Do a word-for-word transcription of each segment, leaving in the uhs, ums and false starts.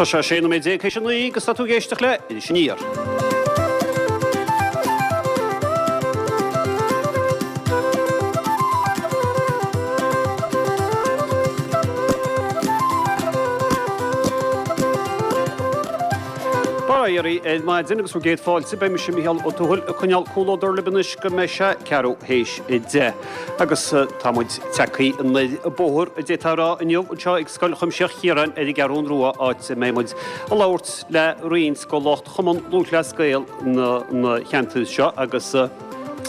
Tá sé sé nóiméad déag théis a naoi agus tá tú ag éisteacht le Iris Aniar. Bail ó Dhia oraibh ar maidin agus bhur gcéad fáilte. Beidh mise Mícheál Ó Tuathail ag coinneáil comhluadar libh anois go mbeidh sé ceathrú théis a deich. Agus tá muid tagtha anoir an bóthar a d'fhéadfá a rá inniu anseo ag Scoil Chuimsitheach Chiaráin ar an gCeathrún Rua áit a mbeidh muid ag labhairt le roinnt de lucht Chumann Lúthchleas Gael na cheantair seo agus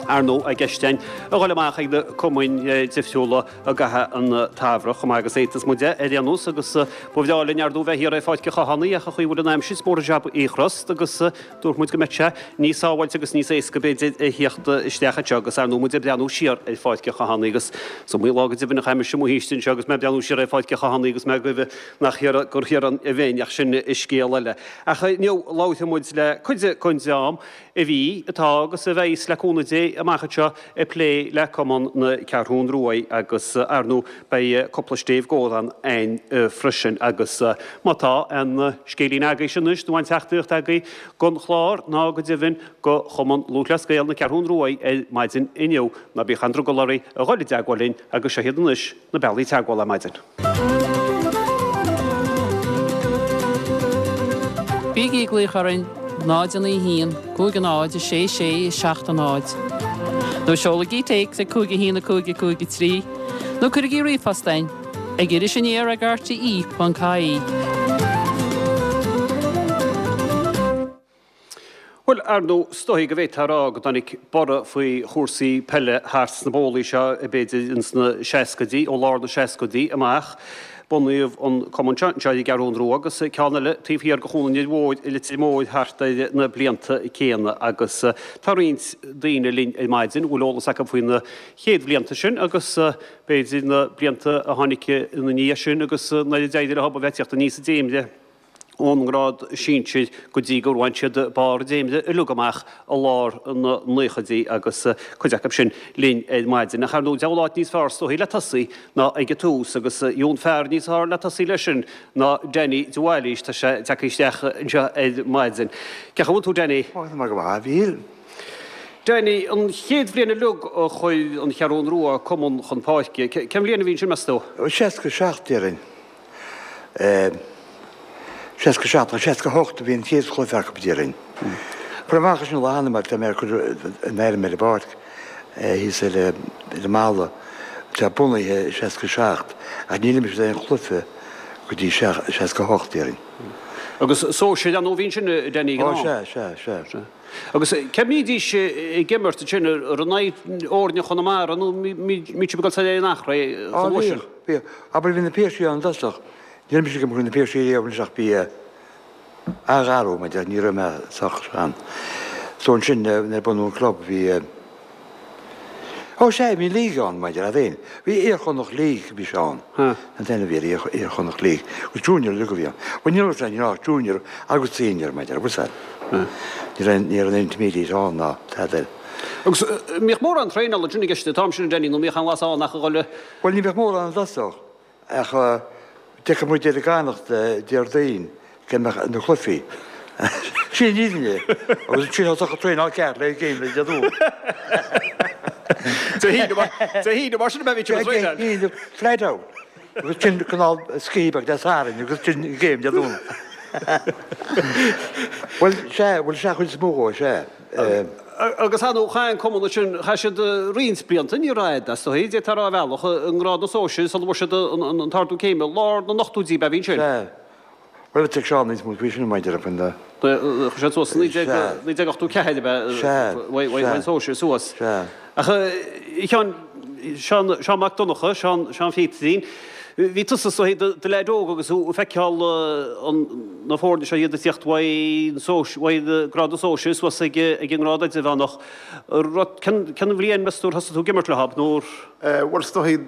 ar ndóigh ag ceisteanna a dhul amach ag na cumainn difriúla i gcaitheamh an tsamhraidh chomh maith agus a fhéadfas muid é ar aon nós agus ba bhreá linn ar ndóigh bheith thiar ar Pháirc an Chathánaigh ach an chaoi a bhfuil an aimsir is mór an jab í a chrost agus dúirt muid go mbeadh sé níos sábháilte agus níos éasca b'fhéidir a theacht isteach anseo agus ar ndóigh muid ag breathnú siar ar Pháirc an Chathánaigh agus is iomaí lá go deimhin a chaith mise i mo shaoiste anseo agus mé ag breathnú siar ar Pháirc an Chathánaigh agus mé ag goimh nach thiar gur thiar a bheinn ach sin scéal eile. Ach inniu labharfaidh muid le cuid den dream a bhí, atá agus a bheidh le cúnamh Dé amach anseo ag plé le Cumann na Ceathrún Ruaidh agus ar ndóigh beidh cúpla stéibh gcomhrá againn freisin agus má tá aon scéilín agaibhse anois nó aon teachtaireacht agaibh don chlár ná go deimhin do Chumann Lúthchleas Gael na Ceathrún Ruaidh ar maidin inniu ná bíodh aon drogall oraibh a dhul i dteagmháil linn agus seo iad anois na bealaí teagmhála ar maidin. Bígí ag glaoch orainn náid a naoi haon, cúig a náid, a sé sé, seacht a náid. Nó seolaigí téacs ag cúig a haon a cúig a cúig a trí, nó cuirigí ríomhphost chugainn ag iris aniar ag rte ponc ie. Bhuel, ar ndóigh, is dóigh go bhféadfá a rá go dtáinig borradh faoi chúrsaí peile thart sna bólaí seo, b'fhéidir, ins na seascaidí, ó lár na seascaidí amach. Bunaíodh an cumann seo anseo ar an gCeathrún Rua agus ceann eile taobh thiar de Chuan an Fhir Mhóir i Leitir Móir thart ar na blianta céanna agus tá roinnt daoine linn ar maidin a bhfuil eolas acu faoi na chéad bhlianta sin agus b'fhéidir na blianta a tháinig ina ndiaidh sin agus nuair a d'éirigh leo a bheith ag tíocht aníos an dréimire ón ngrád sinsir go dtí gur bhain siad barr an dréimire uilig amach i lár na naochaidí agus cuid acu sin linn ar maidin. Ach ar ndóigh, diabhal áit níos fearr is dóichí le tosaí ná ag an tús agus gheobhaidh an fear níos fearr le tosaí leis sin ná Danny de Bhailís. Tá sé tagtha isteach anseo ar maidin. Cén chaoi a bhfuil tú, Danny? Ó, tá mé go maith, a Mhíchíl. Danny, an chéad bhliain uilig a chuir an Cheathrún Rua cumann chun páirce, cén bhliain a bhí ansin, meas tú? Seasca seacht, déarfainn. seasca seacht nó seasca hocht a bhí an chéad chluiche acu, déarfainn. Cuir amach leis an lá cheana mar tá mé ag cur an fheirm ar an bpáirc thíos ar an mballa. Tá bunaithe i seasca seacht ach níor imir siad aon chluiche go dtí seasca hocht, déarfainn. Agus sóisir ar ndóigh a bhí ansin, Danny, ag an am? Ó, sea, sea, sea. Agus cé a mbídís ag imirt ansin, ar in aghaidh fhoirne Chonamara nó mbíodh sibh ag dul soir ar an Eachréidh Á, chomh luath sin? bhíodh, bhíodh. Abair bhí na Piarsaigh ann i dtosach. Níor imir mise i gcoinne na Piarsaigh riamh anois ach bhí an-gharbh mé, ní raibh mé sách sean. So ansin nuair a bunú an club bhí, ó sea, bhí league ann maidir leat féin. Bhí Iar-Chonnacht League bhí sé ann. An t-ainm a bhí air, Iar-Chonnacht League. Agus Junior uilig a bhí ann. Bhuel ní raibh sé, ní raibh ach Junior agus Senior maidir, bhfuil a fhios agat. Ní raibh, ní raibh an Intermediate ann ná tada eile. Agus mbíodh mórán traenála ansin i gceist an t-am sin, Danny, nó mbíodh aon bhlas ann ach a dhul i. Bhuel ní bheadh mórán i dtosach. Ach d'fheicfeadh muid ar an gCadhnach Déardaoin go mbeadh na cluichí. Sin an fhírinne. Agus ansin thosódh an traenáil ceart le game le Dé Domhnaigh. Dé hAoine mar sin a bheidh siad ag traenáil. Dé hAoine, flat out. Agus sin cineál scíth beag Dé Sathairn agus sin game Dé Domhnaigh. Bhuel, sea, bhuel sea chuid is mó dhó, sea. Agus ar ndóigh, chaith an cumann ansin, chaith siad roinnt blianta, ní raibh fhad, is dóigh, d'fhéadfá a rá ar bhealach, i ngrád na sóisir sula bhfuair siad an t-ardú céime, lár na n-ochtóidí ab ea a bhí ansin? Sea. Bhuel, bheadh Seán níos mó faoi sin, mar deir faoin da. Chuaigh siad suas i naoi déag ochtó ceathair ab ea? Sea. Bhain an sóisir suas. Sea. Ach a Sheáin, Seán, Seán Mac Donncha, Seán, Seán Phíotarín, bhí tusa is dóigh i do leaid óg agus thú ag feiceáil an, na foirne seo iad ag tíocht uaidh an sóis, uaidh grád na sóisir suas ag, ag an ngrád idirmheánach. Rud, cén, cén bhliain meas tú ar thosaigh tú ag imirt leo, nó ar. Bhuel is dóigh,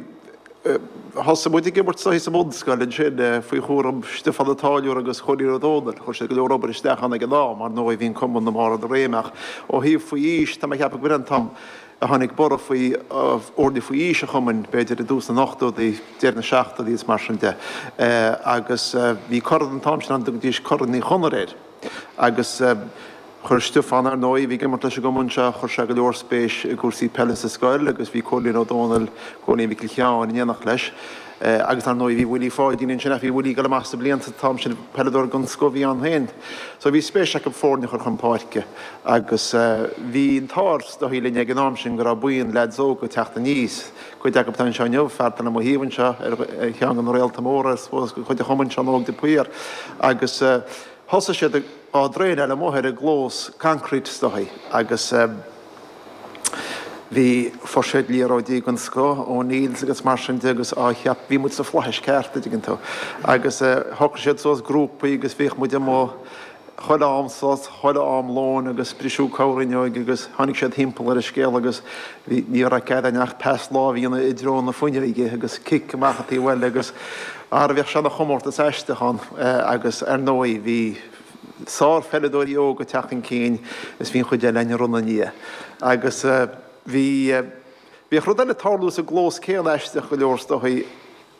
thosaigh muid ag imirt is dóigh sa mbunscoil ansin faoi chúram Stiofán Ó Táilliúra agus Chóilín Ó Dónaill. Chuir siad go leor obair isteach ann ag an am, ar ndóigh bhí an cumann i mbarr a réime ach ó thaobh faoi aois, tá mé ag ceapadh go b'in an t-am, a tháinig borradh faoi fhoirne faoi aois an chumainn, b'fhéidir i dtús na n-ochtóidí, deireadh na seachtóidí is mar sin de. Agus bhí corn an t-am sin ann, dtugaidís Corn Uí Chonaire air. Agus chuir Stiofán, ar ndóigh, a bhí ag imirt leis an gcumann seo, chuir sé go leor spéis i gcúrsaí peile sa scoil agus bhí Cóilín Ó Dónaill, Cóilín Mhicil Sheáin, in éineacht leis. Agus ar ndóigh bhí Willie Pháidín ansin ach bhí Willie ag dul amach sna blianta an t-am sin, peileadóir den scoth a bhí ann féin. So bhí spéis acu foirne a chur chun páirce agus bhí an t-ádh is dóigh linn ag an am sin go raibh buíon leaids óga ag teacht aníos, cuid acu atá anseo inniu, fear atá le mo thaobh anseo ar cheann de na réalta móra I suppose de chuid an chumainn, Seán Óg de Paor agus thosaigh siad á dtraenáil amuigh ar an gclós concrete is dóigh agus Bhí, fuair siad liathróidí den scoth, O'Neills agus mar sin de agus á cheap, bhí muid sa fhlaithis ceart, a dtuigeann tú. Agus shocraigh siad suas grúpaí agus bhíodh muid amuigh chuile am sos, chuile am lóin agus briseadh corrfhuinneoig agus tháinig siad thimpeall ar an scéal agus bhí, ní raibh cead againn ach pas láimhe a dhéanamh i dtreo na fuinneoige agus cic amach an taobh eile agus ara bhíodh sé ina chomórtas aisteach ann agus ar ndóigh bhí sárpheileadóirí óga ag teacht chun cinn is bhí an chuid eile againn ag run ina ndiaidh. Agus bhí, bhíodh rud eile ag tarlú sa gclós céanna aisteach go leor is dóigh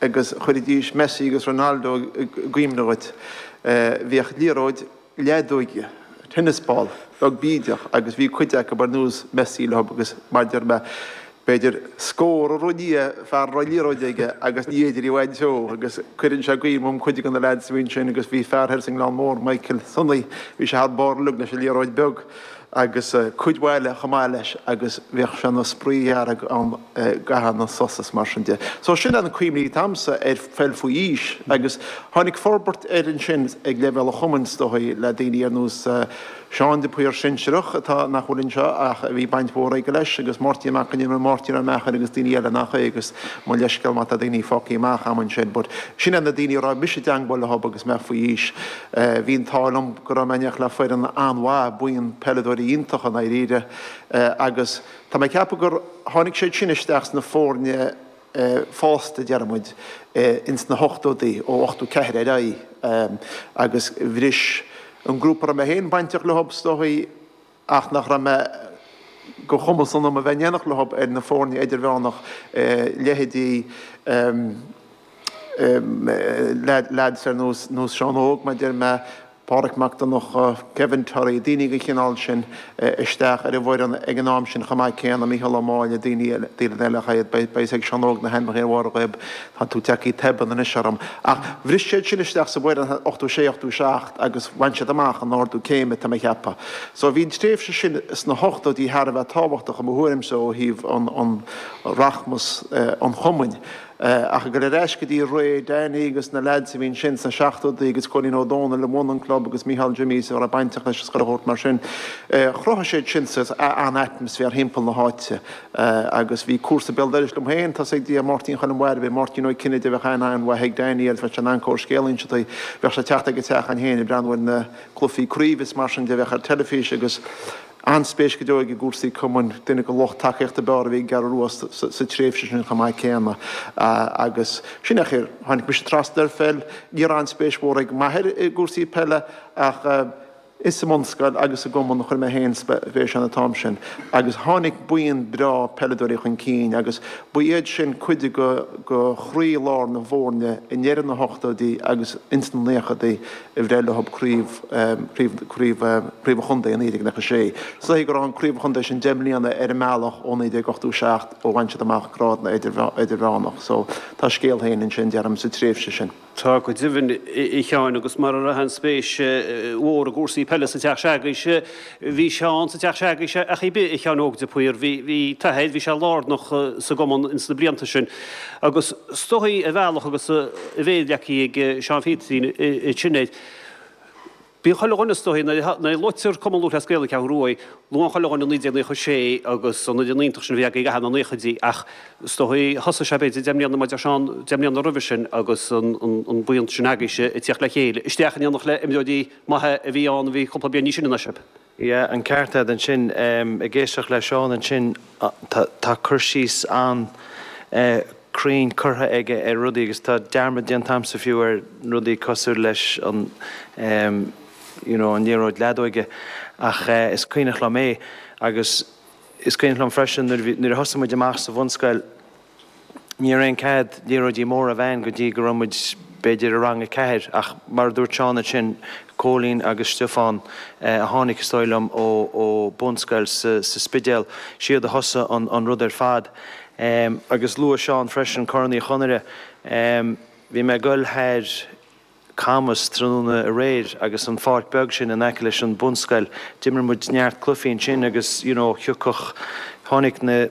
agus chuiridís Messi agus Ronaldo i gcuimhne dhuit. Bhíodh liathróid leadóige, tennis ball, beag bídeach agus bhí cuid acu ar nós Messi leo agus mar a deir mé, b'fhéidir scór a rith i ndiaidh fear a raibh liathróid aige agus ní fhéidir í a bhaint dó agus cuireann sé i gcuimhne dhom cuid de na leaids a bhí ansin agus bhí fear thoir sa nGleann Mór, Michael Sonny, bhí sé thar barr uilig leis an liathróid beag agus cuid mhaith eile chomh maith leis agus bhíodh sé ina spraoi dhearg ann i gcaitheamh na sos is mar sin de. So sin é na cuimhní atá agamsa ar pheil faoi aois agus tháinig forbairt air ansin ag leibhéal an chumainn is dóigh le daoine ar nós Seán de Paor sinsearach atá, nach bhfuil anseo ach a bhí baint mhór aige leis, agus Máirtín Mac an Iomaire, Máirtín Ó Meachair agus daoine eile nach é agus mo leithscéal má tá daoine fágtha amach a'm ansin but sin iad na daoine a raibh mise i dteangmháil leo agus mé faoi aois. Bhí an t-ádh liom go raibh mé in éineacht le foireann an-mhaith, buíon peileadóirí iontacha i ndáiríre agus tá mé ag ceapadh gur tháinig siad sin isteach sna foirne fásta, deir muid, ins na hochtóidí, ó ochtó ceathair ar aghaidh agus bhris an grúpa a raibh mé féin bainteach leo is dóigh ach nach raibh mé de chumas ionam a bheith in éineacht leo ar na foirne idirmheánach, leithéidí leaids ar nós Seán Óg, mar a deir mé, Pádraic Mac Donncha, Kevin Torrey, daoine den chineál sin isteach ar an bhfoireann ag an am sin chomh maith céanna, Mícheál Ó Máille, daoine eile, daoine eile ach iad, beidh fhios ag Seán Óg na hainmneacha ar bharr a ghoib, tá tú tagtha tobann anois orm. Ach bhris siad sin isteach sa bhfoireann ochtó sé, ochtó seacht agus bhain siad amach an ardú céime, tá mé a cheapadh. So bhí an tréimhse sin sna hochtóidí thar a bheith tábhachtach i mo thuairimse ó thaobh an, an rachmas an chumainn. Ach ag dul ar ais go dtí ré Danny agus na leaids a bhí ansin sna seachtóidí agus Cóilín Ó Dónaill a bhunaigh an club agus Mícheál Jimmy a raibh bainteach leis agus chuile shórt mar sin, chruthaigh siad sin saghas an-atmaisféar thimpeall na háite agus bhí cúrsa béal dorais liom féin, tá 'fhios ag Dia, Máirtín Choilm Mháire, bhí Máirtín Ó Cinnéide, bheadh aithne an-mhaith ag Danny air, bheadh sé in ann corrscéal a inse di, bheadh sé ag teacht ag an teach againn féin ag breathnú ar na cluichí craoibhe is mar sin de a bheadh ar teilifís agus An-spéis go deo aige i gcúrsaí cumainn, duine de lucht tacaíochta ab fhearr a bhí ag an gCeathrú Rua sa tréimhse sin chomh maith céanna. Agus sin é an chaoi ar tháinig mise trasna ar pheil. Ní raibh aon spéis mhór ag m'athair i gcúrsaí peile ach is sa mbunscoil agus sa gcumann a chuir mé féin spéis ann an t-am sin. Agus tháinig buíon breá peileadóirí chun cinn agus ba iad sin cuid de chroí-lár na bhfoirne i ndeireadh na hochtóidí agus ins na naochadaí. a bhreith leo craobh, craobh, craobh, craobh an chontae i naoi déag nócha sé. Is dóigh go raibh an craobh an chontae sin deich mbliana ar an mbealach ó naoi déag ochtó seacht ó bhain siad amach grád na idirmheánach. So tá a scéal féin ansin, deirim, sa tréimhse sin. Tá go deimhin, a Sheáin, agus mar a raibh an spéis mhór i gcúrsaí peile sa teach se'agaibhse, bhí Seán sa teach se'agaibhse ach ar bith, a Sheáin Óg de Paor, bhí, bhí t'athair, bhí sé lárnach sa gcumann ins na blianta sin. Agus is dóigh ar bhealach agus a mhéar leagtha ag Seán Phíotarín ansin air. Bíonn chuile dhuine is dóigh, nuair a luaitear Cumann Lúthchleas Gael na Ceathrún Rua, luann chuile dhuine naoi déag naocha sé agus an fhoireann iontach sin a bhí agaibh i gcaitheamh na naochaidí ach is dóigh thosaigh sé b'fhéidir deich mbliana, mar a deir Seán, deich mbliana roimhe sin agus an buíon sin agaibhse ag tíocht le chéile, isteach in éineacht le imreoirí maithe a bhí ann a bhí cúpla bliain níos sine ná sibh. Yeah, an ceart agat ansin. Ag éisteacht le Seán ansin, tá cur síos an-chruinn curtha aige ar rudaí agus tá dearmad déanta agamsa fiú ar rudaí cosúil leis an you know an liathróid leadóige ach is cuimhneach liom é agus Is cuimhin liom freisin nuair a bhí, nuair a thosaigh muid amach sa bhunscoil, ní raibh aon cead liathróidí móra a bheith againn go dtí go raibh muid b'fhéidir i rang a ceathair ach mar a dúirt Seán ansin, Cóilín agus Stiofán a tháinig is dóigh liom ó ó bunscoil sa sa Spidéal, siad a thosaigh an an rud ar fad. Agus luaigh Seán freisin Corn Uí Chonaire. Bhí mé ag goil thar Camas tráthnóna aréir agus an pháirc beag sin in aice leis an bunscoil, d'imir muid neart cluichí ansin agus you know thiocfadh, tháinig na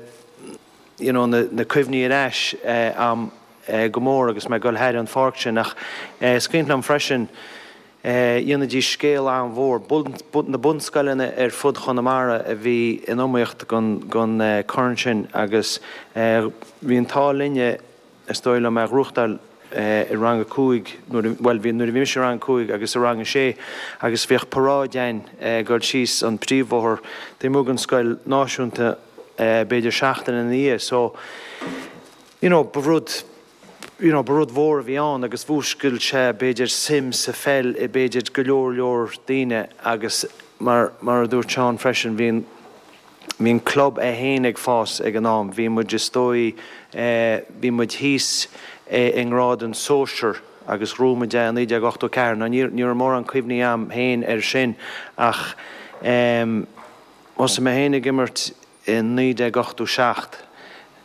you know na na cuimhní ar ais a'm go mór agus mé ag goil thar an pháirc sin ach is cuimhin liom freisin dhéanaidís scéal an-mhór, na bunscoileanna ar fud Chonamara a bhí in iomaíocht don don corn sin agus bhí an t-ádh linne is dóigh liom é a ghnóthachtáil i rang a cúig nuair a, bhuel bhí, nuair a bhí mise i rang a cúig agus i rang a sé agus bhíodh paráid a'inn ag dul síos an príomhbhóthar taobh amuigh den scoil náisiúnta b'fhéidir seachtain ina dhiaidh so you know ba rud you know ba rud mhór a bhí ann agus mhúscail sé b'fhéidir suim sa pheil i b'fhéidir go leor leor daoine agus mar mar a dúirt Seán freisin bhí an Bhí an club é féin ag fás ag an am. Bhí muid is dóigh, bhí muid thíos i ngrád an sóisear agus ghnóthaigh muid é i naoi déag ochtó ceathair. Now ní raibh mórán cuimhní a'm féin air sin ach thosaigh mé féin ag imirt i naoi déag ochtó seacht.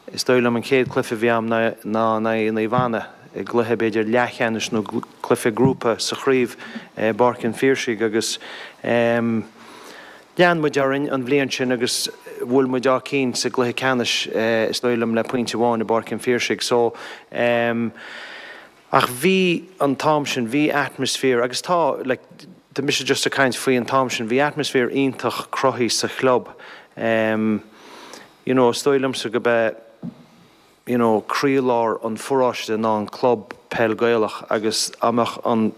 Is dóigh liom an chéad cluiche a bhí a'm ná in aghaidh Naomh Anna i gcluiche b'fhéidir leathcheannais nó cluiche grúpa sa chraobh i bPáirc an Phiarsaigh agus Lean muid orainn an bhliain sin agus bhuail muid Áth Cinn sa gcluiche ceannais is dóigh liom le pointe amháin i bPáirc an Phiarsaigh. So ehm ach bhí an t-am sin, bhí atmosphere agus tá like tá mise just ag caint faoi an t-am sin, bhí atmosphere iontach cruthaithe sa chlub. Ehm you know is dóigh liomsa go b'é you know croílár an pharóiste ná an club peil Gaelach agus dá mbeadh an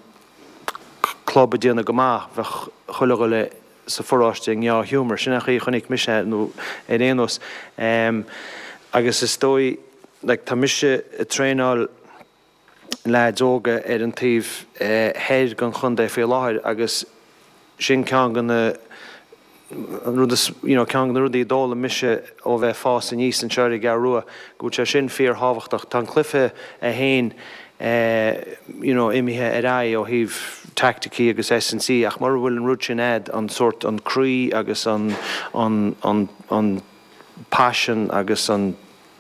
club ag déanamh go maith bheadh chuile dhuine sa pharóiste i ndea-ghiúmar. Sin an chaoi a chonaic mise é nó ar aon nós. Agus is dóigh like tá mise ag traenáil leaids óga ar an taobh thoir den chontae faoi láthair agus sin ceann de na an rud is you know ceann de na rudaí a d'fhoghlaim mise ó bheith ag fás aníos anseo ar an gCeathrú Rua go bhfuil sé sin fíorthábhachtach. Tá an cluiche é féin you know imithe ar aghaidh ó thaobh teaicticí agus S and C ach mura bhfuil an rud sin a'd, an sórt, an croí agus an, an, an, an paisean agus an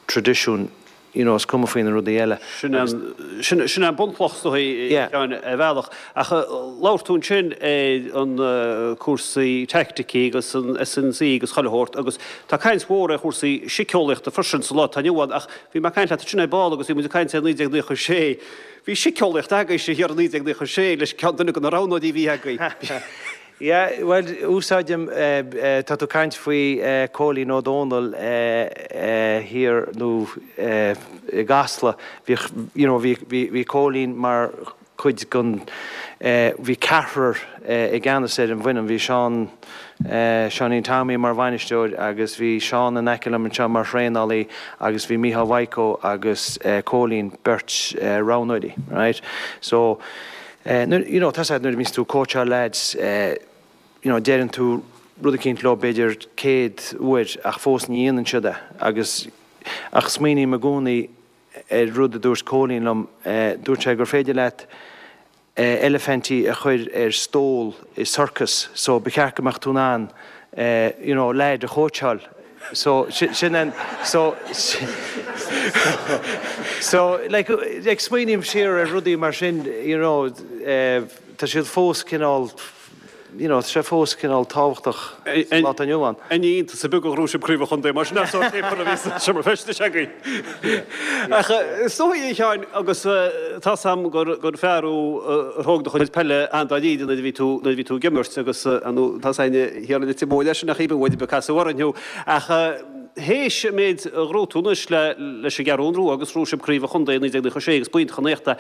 traidisiún, you know is cuma faoi na rudaí eile. Sin an, sin, sin an bunchloch is dóigh Yeah. ar bhealach. Ach labhair tú ansin ar an cúrsaí teaicticí agus an S and C agus chuile shórt agus tá caint mhór ar chúrsaí síceolaíochta freisin sa lá atá inniu ann ach bhí mé ag caint leat ansin ar ball agus bhí muid ag caint ar naoi déag naocha sé. Bhí síceolaíocht agaibhse thiar i naoi déag naocha sé leis ceann duine de na roghnóirí a bhí agaibh. Yeah, bhuel, úsáidim, tá tú ag caint faoi Cóilín Ó Dónaill thiar nó i gCasla, bhíodh, you know, bhí, bhí, bhí Cóilín mar chuid den, bhí ceathrar i gceannas ar an bhfoireann, bhí Seán, Seáinín Tommy mar bhainisteoir agus bhí Seán in aice liom anseo mar thraenálaí agus bhí Mícheál Mhaidhc agus Cóilín, beirt roghnóirí, right? So, nuair, you know, tá a fhios agat nuair a bhíonns tú ag cóitseáil lads, you know, deireann tú rud eicínt leo b'fhéidir céad uair ach fós ní dhéanann siad é agus, ach smaoiním i gcónaí ar rud a dúirt Cóilín liom, dúirt sé gur féidir leat eilifintí a chur ar stól i sorcas so ba cheart go mbeadh tú in ann you know leaid a chóitseáil so sin an so so like like smaoiním siar ar rudaí mar sin you know tá siad fós cineál you know tá sé fós cineál tábhachtach sa lá atá inniu ann. Ní iontas ar bith gur ghnóthaigh sibh craobh an chontae mar sin as sórt céapar a bhí sa seomra feistis agaibh. Ach is dóigh a Sheáin agus tá 's a'm gur gur fear thú ar thóg do chuid peile an-dáiríre nuair a bhí tú nuair a bhí tú ag imirt agus nó tá 's a'inn thiar i Leitir Móir leis an nach iad bhfuil ag casadh orainn thú ach théis an méid a ghnóthaigh tú anois le leis an gCeathrú Rua agus ghnóthaigh sibh craobh an chontae i naoi déag naocha sé agus b'iontach an éacht é.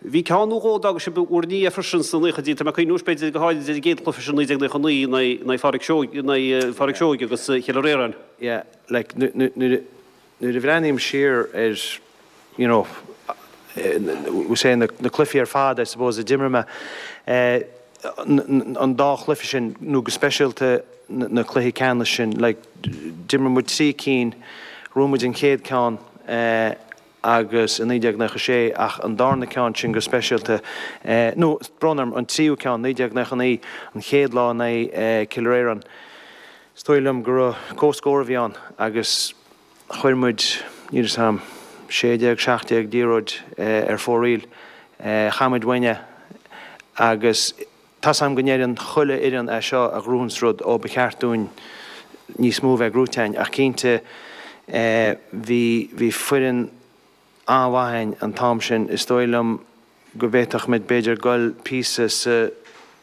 Bhí ceann nó dhó a d'fhág sibh bhur ndiaidh freisin sna naochaidí, tá mé ag cuimhniú b'fhéidir go háirid ar an gcéad chluiche sin naoi déag naocha naoi in aghaidh Phádraig Seoige, in aghaidh Phádraig Seoige agus Chill Ríordáin. Yeah, like nuair a bhreathnaím siar ar you know say na cluichí ar fad I suppose a d'imir mé, an dá chluiche sin, nó go speisialta na cluichí ceannais sin, like, d'imir muid trí cinn, bhuaigh muid an chéad ceann agus i naoi déag nócha sé ach an darna ceann sin go speisialta, nó brón orm, an tríú ceann, naoi déag nócha naoi, an chéad lá in aghaidh Cill Réaráin, is dóigh liom go raibh comhscór a bhí ann agus chuir muid, níl 'fhios a'm, sé déag, seacht déag liathróid ar fóraoil, chaith muid uainn é agus tá's a'm go ndeireann chuile fhoireann é seo a ghnóthaíonns rud, ó ba cheart dúinn níos mó a bheith gnóthaithe a'inn ach cinnte bhí, bhí foireann an-mhaith a'inn an t-am sin, is dóigh liom go bhféadfadh muid b'fhéidir goil píosa sa,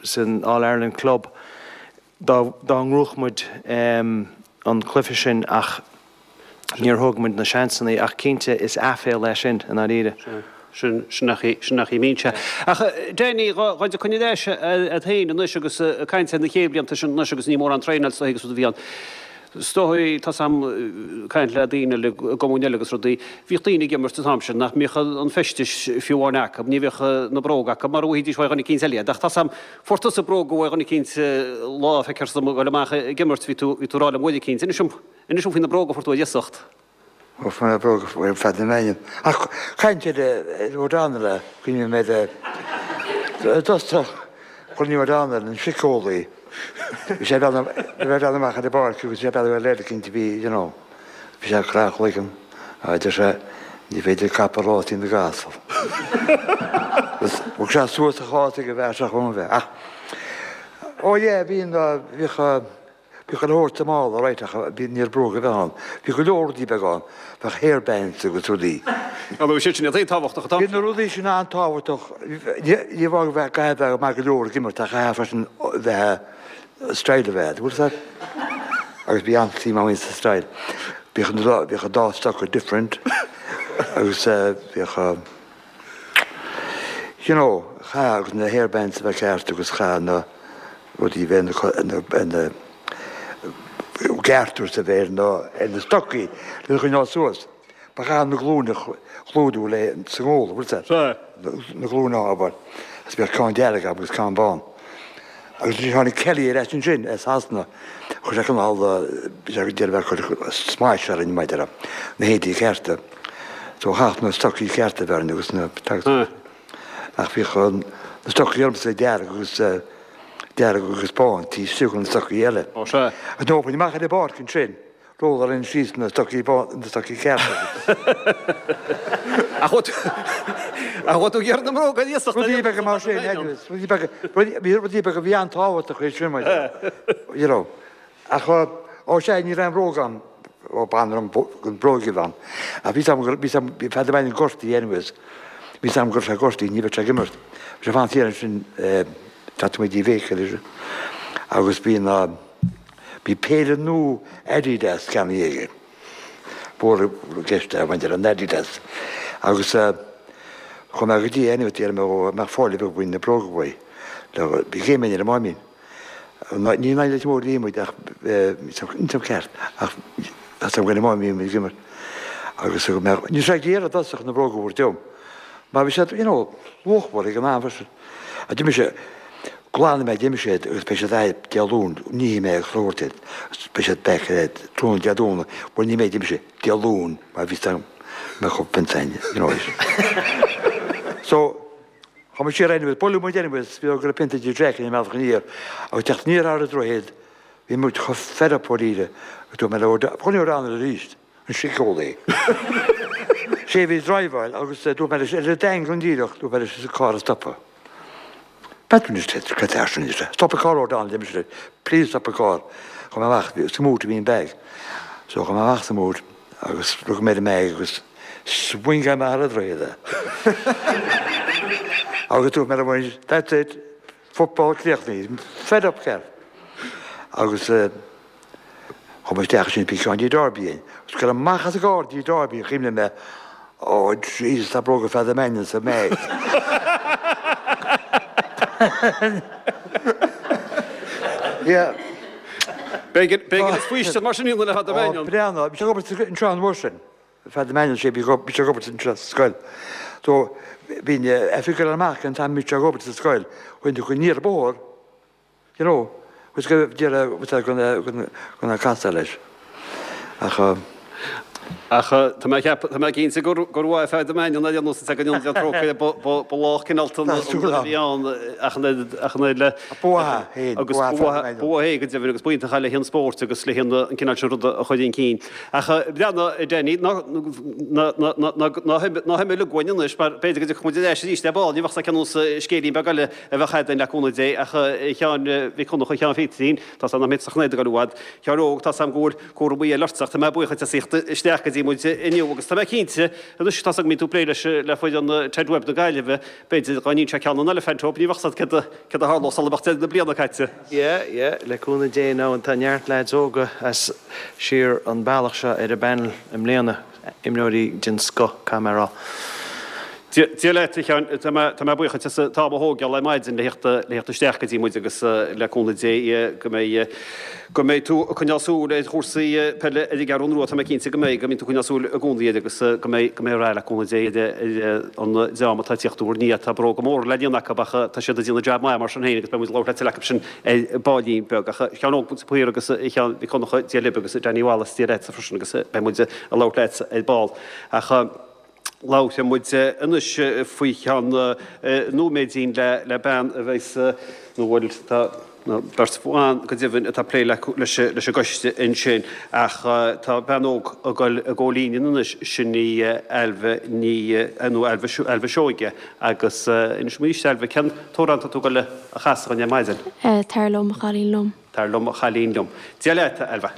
san All Ireland Club dá, dá ngnóthódh muid an cluiche sin ach níor thóg muid na seansannaí ach cinnte is aiféala é sin i ndáiríre. Sin, sin nach í, sin nach í mbíonn sé. Ach Danny, dhá dtiocfainn ar ais a'd féin anois agus ag caint ar na chéad bhlianta sin anois agus ní mórán traenáil is agus rud a bhí ann. Is dóigh, tá's a'm, caint le daoine eile i gcumainn eile agus rudaí, bhíodh daoine ag imirt an t-am sin nach mbíodh an feisteas fiú amháin acu, ní bhíodh na bróga acu mar a bhfaighidís uaidh dhuine eicínt eile iad. Ach tá's a'm, fuair tusa bróga uaidh dhuine eicínt lá, feictear dom, ag dul amach ag imirt, bhí tú, bhí tú ag rá liom uair eicínt, inis dom, inis dom faoi na bróga a fuair tú ar iasacht. Ó, fuair mé bróga uaidh Pheadar Mannion. Ach caint ar O'Donnell, cuimhním ar i dtosach, Chruinniú O'Donnell, an síceolaí. Bhí sé ag breathnú amach ar an bpáirc agus bhí sé ag breathnú ar leaid eicínt a bhí, you know, bhí sé ag croitheadh a chloigeann. Á, deir sé, ní féidir capall a rásaí na gcasal. Agus thug sé suas a chás ag an bhfear seo chun bheith. Ach, ó yeah, bhí an, bhíodh, Bhíodh go leor sa mála, right, ach bhí, ní raibh bróga ar bith ann. Bhí go leor rudaí beaga ann, bheadh hair bands agus rudaí. Á, bhí siad sin an-tábhachtach an t-am Bhí na rudaí sin an-tábhachtach, ní, ní amháin go bheith, caithfidh bheith maith go leor ag imirt ach caithfidh freisin bheith, style a bheith agat, bhfuil fhios agat? Agus bhí an-suim agam sa style. Bhíodh na, bhíodh an dá stoca different agus bhíodh, you know, chaith agus na hair bands a bheith ceart agus chaith na, rudaí a bheith ina gceartús a bheith ar na stocaí lena choinneáil suas. Ba chaithfeá na glúine a chlúdú le sa ngol, bhfuil fhios agat? Na glúine ábhair. Agus bheadh ceann dearg agam agus ceann bán. Agus ansin tháinig Kelly ar ais ansin as Sasana. Chuir sé cineál, bhí sé ag iarraidh bheith ag cur smais orainn maidir le na héadaí cearta. So chaith na stocaí cearta a bheith orainn agus na Ach bhíodh na stocaí ormsa dearg agus dearg agus bán taobh istigh de na stocaí eile. Ó sea. Agus nuair a chuaigh amach ar an bpáirc ansin, rolláil orainn síos na stocaí bán, na stocaí cearta. Ach bhfuil tú, ach bhfuil tú ag iarraidh na mbróga ar iasacht Rudaí beaga mar sin, anyways, rudaí beaga, rudaí, rudaí beaga a bhí an-tábhachtach é sin, mar, you know. Ach, ó sea, ní raibh aon bhróg ann, ó b'annamh an bhróg a bhí ann. Ach bhí 'fhios agam, bhí 'fhios agam, bhí Peadar Mannion gortaithe anyways. Bhí 'fhios agam go raibh sé gortaithe, ní bheadh sé ag imirt. Bhí sé ag fanacht thiar ansin, teacht amuigh dtí Bhéicil agus bhí na, bhí péire nua Adidas ceannaithe aige. Mhór i gceist é maidir an Adidas. Agus chuaigh mé go dtí é anyway, d'iarr mé dhó an mbeadh fáil ar bith faoi na bróga uaidh. Bhí céim ar an máimín. Ní in aghaidh Leitir Móir a bhí muid ach níl ceart ach tá an máimín ag imirt. Agus go mbeadh, ní raibh sé ag iarraidh i dtosach na bróga a thabhairt dom mar bhí siad, you know, luachmhar ag an am freisin. A d'imigh sé, glanfaidh mé, d'imigh siad agus beidh siad agat Dé Luain, nífidh mé agus thabhairt iad agus beidh siad back ar tráthnóna Dé Domhnaigh, bhuel ní mé, d'imigh sé, Dé Luain mar bhí 'fhios agam go mbeadh pionta againn, you know. So, chuaigh muid siar anyways, buaileadh muid anyways, bhí go raibh pionta idir Jack ar an mbealach aniar agus teacht aniar thar an droichead, bhí muid chomh fed up dáiríre agus dúirt mé le O'Donnell, O'Donnell arís. an síceolaí. Sé a bhí ag driveáil agus dúirt mé leis, ar an Daingean díreach, dúirt mé leis an carr a stopadh. B'fhéidir anois, cad é sin anois? Stop an car O'Donnell, deir mise leis, please stop an car. Chuaigh mé amach, sa mboot a bhí an bag. So chuaigh mé amach sa mboot agus rug mé ar an mbag agus swingáil mé thar an droichead é. Agus dúirt mé liom, that's it, football críochnaithe, fed up ceart. Agus Chuaigh mé isteach ansin bhí ceann dtí Derby againn. Agus ag dul amach as an gcarr dtí Derby chuimhnigh mé, oh Jesus tá bróga Pheadair Mannion sa mbag. Yeah. B'éigean b'éigean is faoistin mar sin iad le Peadar Mannion. Oh breathnaigh, bhí sé ag obair anseo an uair sin. Peadar Mannion sé bhí sé ag obair anseo sa scoil. So bhí oifig ag dul amach an t-am bhí sé ag obair sa scoil. Chuaigh tú aniar an bóthar. You know, was go deireadh gona casadh leis. Ach Ach tá mé tá mé cinnte gur gur mhaith feadh do mheáin an nós go ndéanann trócaire ba lách cineál a bhí ann ach an le Bua féin agus bua é go deimhin agus b'iontach le haghaidh an spóirt agus le haghaidh an cineál sin ruda a chur chun cinn. Ach breathnaigh Danny ná himigh uainn anois mar b'fhéidir go dtiocfaidh muid ar ais arís le ball ní bheadh sé ceann scéilín beag eile a bheadh againn le cúnamh Dé ach a Sheáin Mhic Dhonncha Sheáin Phíterín tá sé nach mbeidh sa chnaid ag dul i bhfad. Sheáin óg tá 's agam go bhfuil cúramaí eile ort ach tá mé buíoch as ucht a thíocht isteach go dtí muid inniu agus tá mé cinnte anois tá 's agam go mbíonn tú ag plé leis le foireann Ted Webb na Gaillimhe b'fhéidir dá ndéanfadh sé ceann an Elephant Hope ní bheadh 's agat céard céard a tharlódh sula mbeadh deireadh na bliana caite. Yeah, yeah, le cúnamh Dé now tá neart lads óga as siar an bealach seo ar an bpanel i mbliana, imreoirí den scoth, caithfidh mé a rá. Dia leat, a Sheáin, tá mé tá mé buíoch as an t-am a thógáil ar maidin le theacht le theacht isteach go dtí muid agus le cúnamh Dé go mbeidh go mbeidh tú ag coinneáil súil ar chúrsaí peile ar an gCeathrú Rua, tá mé cinnte go mbeidh, go mbíonn tú ag coinneáil súil i gcónaí air agus go mbeidh go mbeidh rath le cúnamh Dé ar an dream atá ag tíocht úr ndiaidh. Tá bróga móra le déanamh acu ach tá siad ag déanamh jab maith mar sin féin agus beidh muid ag labhairt leat acu sin ar baillín beag. Ach a Sheáin Óg de Paor agus a Sheáin Mhic Dhonncha, Dia libh agus Danny Wallace, Dia leatsa freisin agus beidh muid ag labhairt leat ar ball. Ach Labhróidh muid anois faoi cheann nóiméidín le bean a bheas, nó bhuel, tá beirt bhan go deimhin atá ag plé leis an gcoiste ansin, ach tá bean óg ag dul i gcomh-líne anois, sin í Ailbhe Ní, nó Ailbhe, Ailbhe Seoige, agus inis dom arís, Ailbhe, cén t-amhrán atá tú ag dul a chasadh dúinn ar maidin? Tar liom, a chailín liom. Tar liom, a chailín liom. Dia leat, a Ailbhe.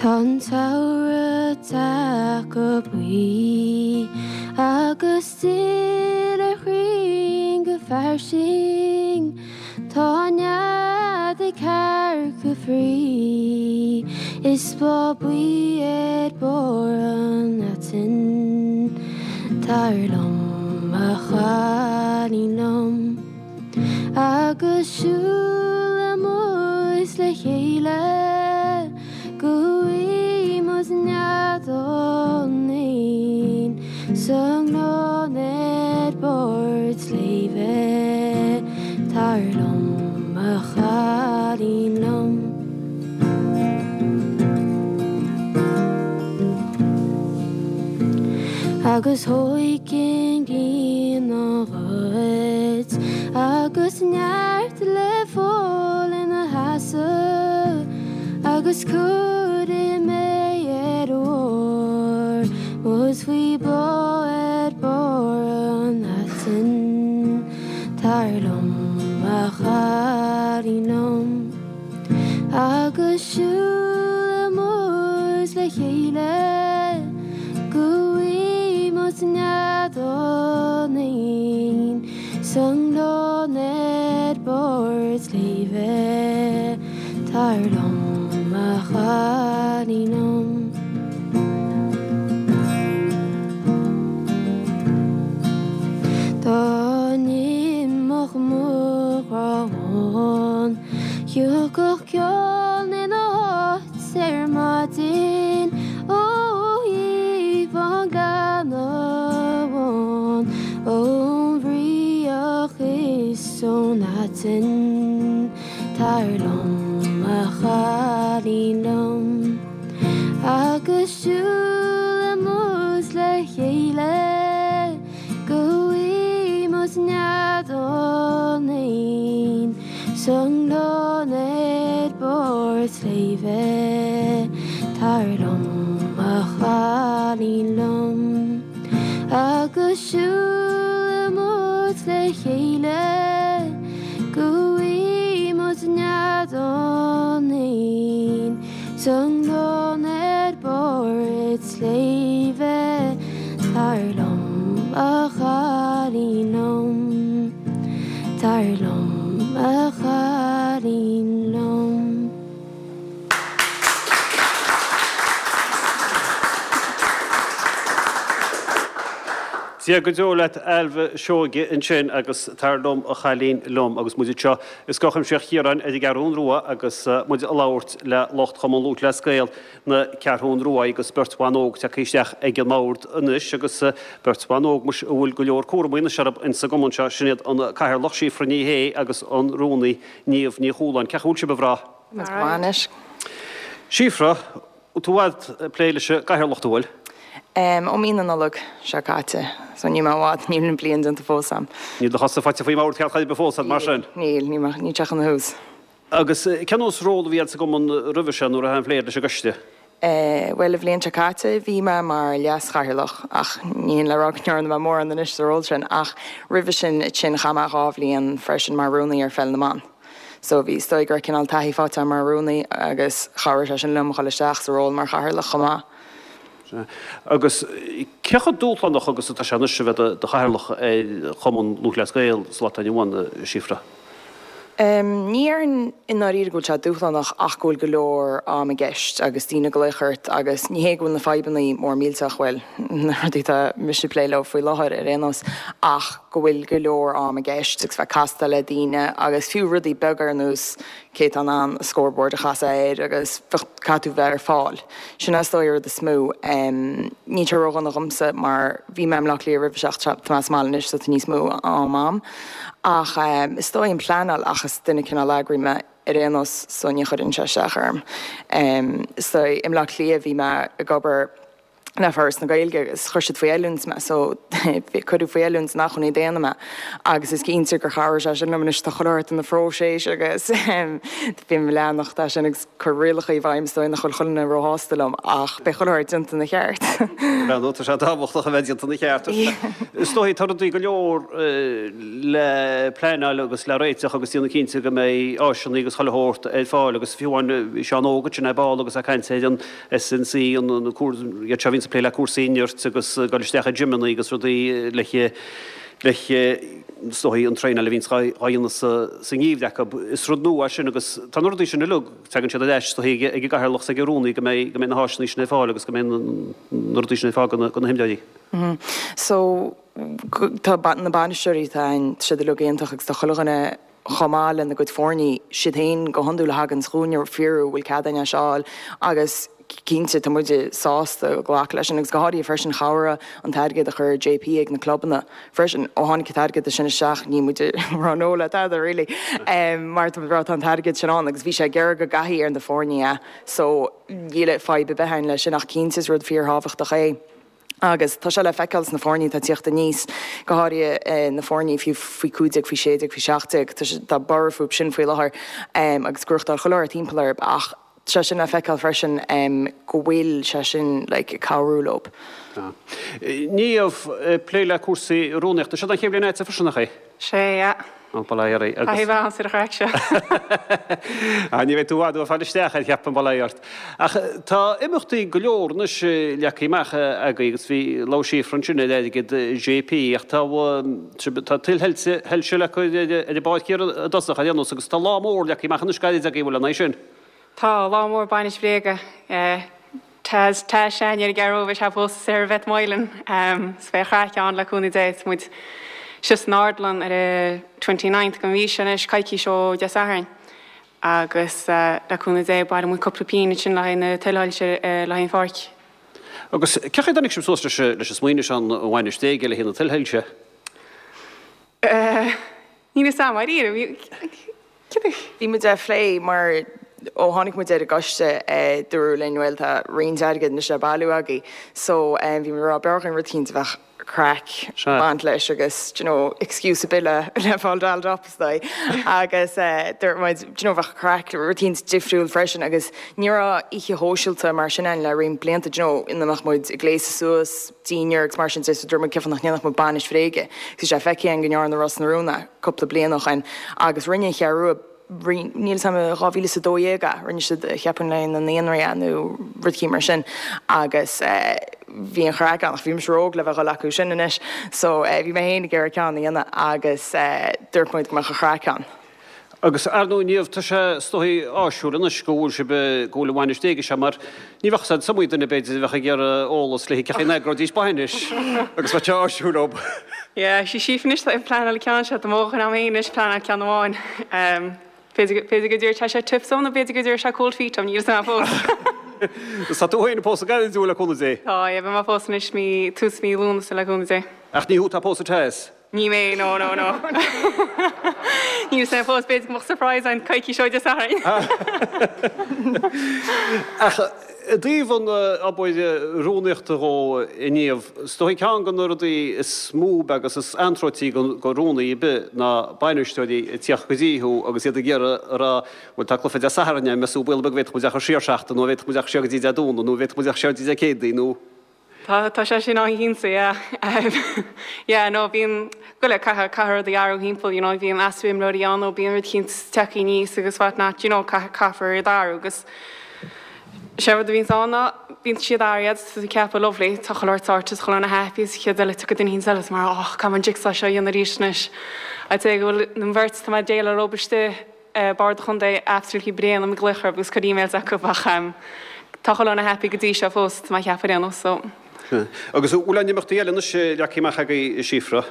Tá an samhradh tagtha buí agus duille ar chrainn go fairsing. Tá an nead ag cearca fraoigh is bláth buí ar barr an aitinn. Tar liom, a chailín liom, agus siúlfaidh muid le chéile go bhfaighidh muid nead ón éin sa ngleann ar barr an tsléibhe. Tar liom, a chailín liom. Agus thóig an ghrian á ghoid agus neart le fáil ina sheasamh agus cuirfidh mé ar an bhfuar muid faoi bhláth ar barr an aitinn. Tar liom, a chailín liom, agus siúlfaidh muid le chéile go bhfaighidh muid nead ón éin sa ngleann ar barr an tsléibhe. Tar liom, a chailín liom. Dá n-imeodh mo ghrá amháin, thiocfadh ceann ina háit ar maidin ó thaobh an ghleanna bháin, ón bhfraoch is ón aiteann. Tar liom, a chailín liom, agus siúlfaidh muid le chéile go bhfaighidh muid nead ón éin sa ngleann ar barr an tsléibhe. Tar liom, a chailín liom, agus siúlfaidh muid le chéile go bhfaighidh muid nead ón éin sa ngleann ar barr an tsléibhe. Tar liom, a chailín liom, tar liom, a chailín liom. Dia go deo leat Ailbhe Seoige ansin agus Tar Liom a Chailín Liom agus muid anseo i Scoil Chuimsitheach Chiaráin ar an gCeathrún Rua agus muid ag labhairt le lucht Chumann Lúthchleas Gael na Ceathrún Rua agus beirt bhan óg tagtha isteach ag an mbord anois agus beirt bhan óg muis a bhfuil go leor cúramaí anois orthu insa gcumann seo, sin iad an Cathaoirleach Síofra Ní Shé agus an Rúnaí Niamh Ní Chualáin. Cén chaoi a bhfuil sibh a mhná? Go maith anois. Síofra, tú i bhfad ag plé leis an gcathaoirleacht an bhfuil? Ó mí na Nollag seo caite, so níl mé i bhfad, níl an bliain déanta fós a'm. Níl do chosa faighte faoin mbord ceart chor ar bith fós a'd mar sin? Níl, níl, níl sé chun a thús. Agus cén nós ról a bhí a'd sa gcumann roimhe seo nó raibh aon phlé a'd leis an gcoiste? Bhuel, an bhliain seo caite bhí mé mar leas-chathaoirleach ach ní hin le rá go ndearna mé mórán anois sa ról sin ach roimhe sin sin chaith mé dhá bhliain freisin mar rúnaí ar Pheil na mBan. So bhí, is dóigh go raibh cineál taithí faighte agam mar rúnaí agus chabhraigh sé sin liom a dhul isteach sa ról mar chathaoirleach chomh maith. Agus cé chomh dúshlánach agus atá sé anois a bheith i do chathaoirleach ar Chumann Lúthchleas Gael sa lá atá inniu ann, a Shíofra? Ní déarfainn i ndáiríre go bhfuil sé dúshlánach ach go bhfuil go leor am i gceist agus daoine ag glaoch ort agus ní hé go bhfuil na fadhbanna mór millteach, bhuel, na rudaí atá mise ag plé leo faoi láthair ar aon nós, ach go bhfuil go leor am i gceist agus bheith ag castáil le daoine agus fiú rudaí beaga ar nós cé atá in ann an scoreboard a chasadh air agus caithfidh tú bheith ar fáil. Sin is dóigh an rud is mó. Níl sé ródhona dhomsa mar bhí mé i mBleá Cliath roimhe seo ach tá mé sa mbaile anois so tá níos mó am a'm. Ach is dóigh an pleanáil ach is duine cineál eagraí mé ar aon nós so ní chuireann sé isteach orm. Is dóigh i mBleá Cliath bhí mé ag obair le Foras na Gaeilge agus chuir siad faoi oiliúint mé so cuireadh faoi oiliúint in acmhainní daonna mé agus is cinnte gur chabhraigh sé sin liom anois tá chuile shórt de na phróiseas agus bím ag leanacht é sin agus cur rialacha i bhfeidhm is dóigh nach bhfuil chuile dhuine róshásta liom ach beidh chuile shórt déanta ina cheart. Bhuel tá sé tábhachtach a bheith déanta ina cheart. Is dóigh tá rudaí go leor le pleanáil agus le réiteach agus déanamh cinnte go mbeidh áiseanna agus chuile shórt ar fáil agus fiú amháin bhí Seán Óg ansin ar ball agus é ag caint ar an SNC, an iad seo a bhíonns ag plé le cúrsaí nirt agus ag dul isteach i gymeanna agus rudaí le le is dóigh an traenáil a bhíonns á dhéanamh sa ngeimhreadh acu. Is rud nua é sin agus tá na rudaí sin uilig, tagann siad ar ais is dóigh ag an gcathaoirleach is ag an rúnaí go mbeidh go mbeidh na háiseanna sin ar fáil agus go mbeidh na rudaí sin ar fáil do na himreoirí. So tá na bainisteoirí atá ann, tá siad uilig iontach agus tá chuile dhuine chomh maith lena gcuid foirní, siad féin go hiondúil a thaganns chugainn ag fiafraí an bhfuil cead againn é seo a fháil agus cinnte tá muide sásta glacadh leis sin agus go háirithe freisin chabhraigh an t-airgead a chuir JP ag na clubanna freisin. Ó tháinig an t-airgead sin isteach níl muid ag rá no le tada really mar tá muid ag rá tá an t-airgead sin ann agus bhí sé ag iarraidh go gcaithfí ar na foirní é so níl fadhb ar bith againn leis sin ach cinnte is rud fíorthábhachtach é. Agus tá sé le feiceáil sna foirní atá ag tíocht aníos, go háirithe na foirní fiú faoi cúig déag, faoi sé déag, faoi seacht déag, tá tá borradh fúthu sin faoi láthair agus gnóthachtáil chuile shórt timpeall orthu ach tá sé sin le feiceáil freisin go bhfuil sé sin like ag cabhrú leo. Niamh, ag plé le cúrsaí rúnaíochta, seo don chéad bhliain agatsa freisin, nach é? Sé, yeah. Ó, bail ó Dhia ort. Taithí mhaith ann ar an chraic seo. Ah, ní bheidh tú i bhfad uaidh fáil isteach air, cheapfainn, bail ó Dhia ort. Ach tá imeachtaí go leor anois leagtha amach agaibh agus bhí, labhair Síofra ansin ar airgead JP ach tá, tá tuilshoilse le cur ar an bpáirc thiar i dtosach ar aon nós agus tá lá mór leagtha amach anois gairid agaibh, an bhfuil, an é sin? Tá, lá mór bainis bhréige. Taz, Taz Sean ar an gCeathrú, beidh sé ag pósadh Sarah Beth Moylan. So beidh craic ann le cúnamh Dé. Tá muid síos san Ardlann ar an twenty ninth den mhí seo anois, coicís ó Dé Sathairn. Agus le cúnamh Dé baileoidh muid cúpla pingin ansin le haghaidh na tuilshoilse le haghaidh an pháirc. Agus cén chaoi a dtáinig sibh suas leis an smaoineamh seo an bhainis bhréige le haghaidh na tuilshoilse? Níl fhios a'm, dáiríre. Bhí muid á phlé mar ó tháinig muid ar an gcoiste dúradh linn bhuel tá roinnt airgid anois le bailiú agaibh so bhí muid ag rá b'fhearr dhúinn rud eicínt a bheadh craic ag baint leis agus do you know excuse ar bith le le fáil dolled up is dóigh agus dúirt muid do you know bheadh craic rud eicínt difriúil freisin agus ní raibh oíche shóisialta mar sin ann le roinnt blianta do you know ina mbeadh muid ag gléasadh suas dinnéar agus mar sin de so dúirt muid cén fáth nach ndéanfadh muid bainis bhréige bhí sé feicthe againn go ndearna Ros na Rún é cúpla bliain ó shin agus rinne an Cheathrú Rua níl 'fhios a'm dhá mhíle is a dó dhéag é rinne siad cheapfainn le na naíonraí é nó rud eicínt mar sin agus bhí an chraic ann ach bhí mise ró-óg le bheith ag dul acu sin anois so bhí mé féin ag iarraidh ceann a dhéanamh agus dúirt muid go mbeadh an chraic ann. Agus ar ndóigh Niamh, tá sé is dóigh áisiúil anois go bhfuil sibh, go bhfuil an bhainis éigse mar ní bheadh said sumaí duine b'fhéidir a bheadh ag iarraidh eolas le cén chaoi a n-eagróidís bainis agus bheadh sé áisiúil leo. Yeah, sí sí anois tá pleanáil ceann seo, tá mo chun am féin anois pleanáil ceann amháin. Um, B'fhéidir b'fhéidir go dtabharfaidh sé tips dom nó b'fhéidir go dtabharfaidh sé cold feet dom, níl a fhios agam fós. Tá tú féin ag pósadh gairid le cúnamh Dé. Tá, yeah, beidh mé ag pósadh anois mí tús mí Lúnasa le cúnamh Dé. Ach ní thú atá ag pósadh Taz. Ní mé, no, no, no. Níl a fhios agam fós, b'fhéidir go mbeadh surprise ann coicís ó Dé Sathairn. Ach i dtaobh an obair rúnaíochta dhó a Niamh, is dóigh ceann de na rudaí is mó agus is anróití do rúnaí ar bith ná bainisteoirí ag tíocht go dtí thú agus iad ag iarraidh a rá bhuel tá cluiche Dé Sathairn ann, meas tú baol beag bhféadfadh muid a chur siar seachtain nó bhféadfadh muid a chur siar go dtí Dé Domhnaigh nó bhféadfadh muid a chur siar go dtí Dé Céadaoin nó Tá tá sé sin an-chinnte, yeah. Yeah, no, bíonn go le caithfidh caithfidh rudaí athrú thimpeall, you know, bíonn easpa imreoirí ann nó bíonn rud eicínt tagtha aníos agus what not, you know, caithfidh caithfear iad athrú agus sé rud a bhíonns ann ná bíonn siad athraithe is tú ag ceapadh lovely, tá chuile shórt sorted, chuile dhuine happy is chéad eile tiocfaidh duine eicínt eile is mar oh, caithfidh mé an jigsaw seo a dhéanamh arís anois. I'd say go bhfuil an bheirt tá mé ag déileáil leo istigh eh, bord an chontae absolutely bréan ag glaoch orthu agus cur emails acu ach um, tá chuile dhuine happy go dtí seo fós tá mé ag ceapadh ar aon nós, so. Agus bhfuil aon imeachtaí eile anois leagtha amach agaibh a Síofra?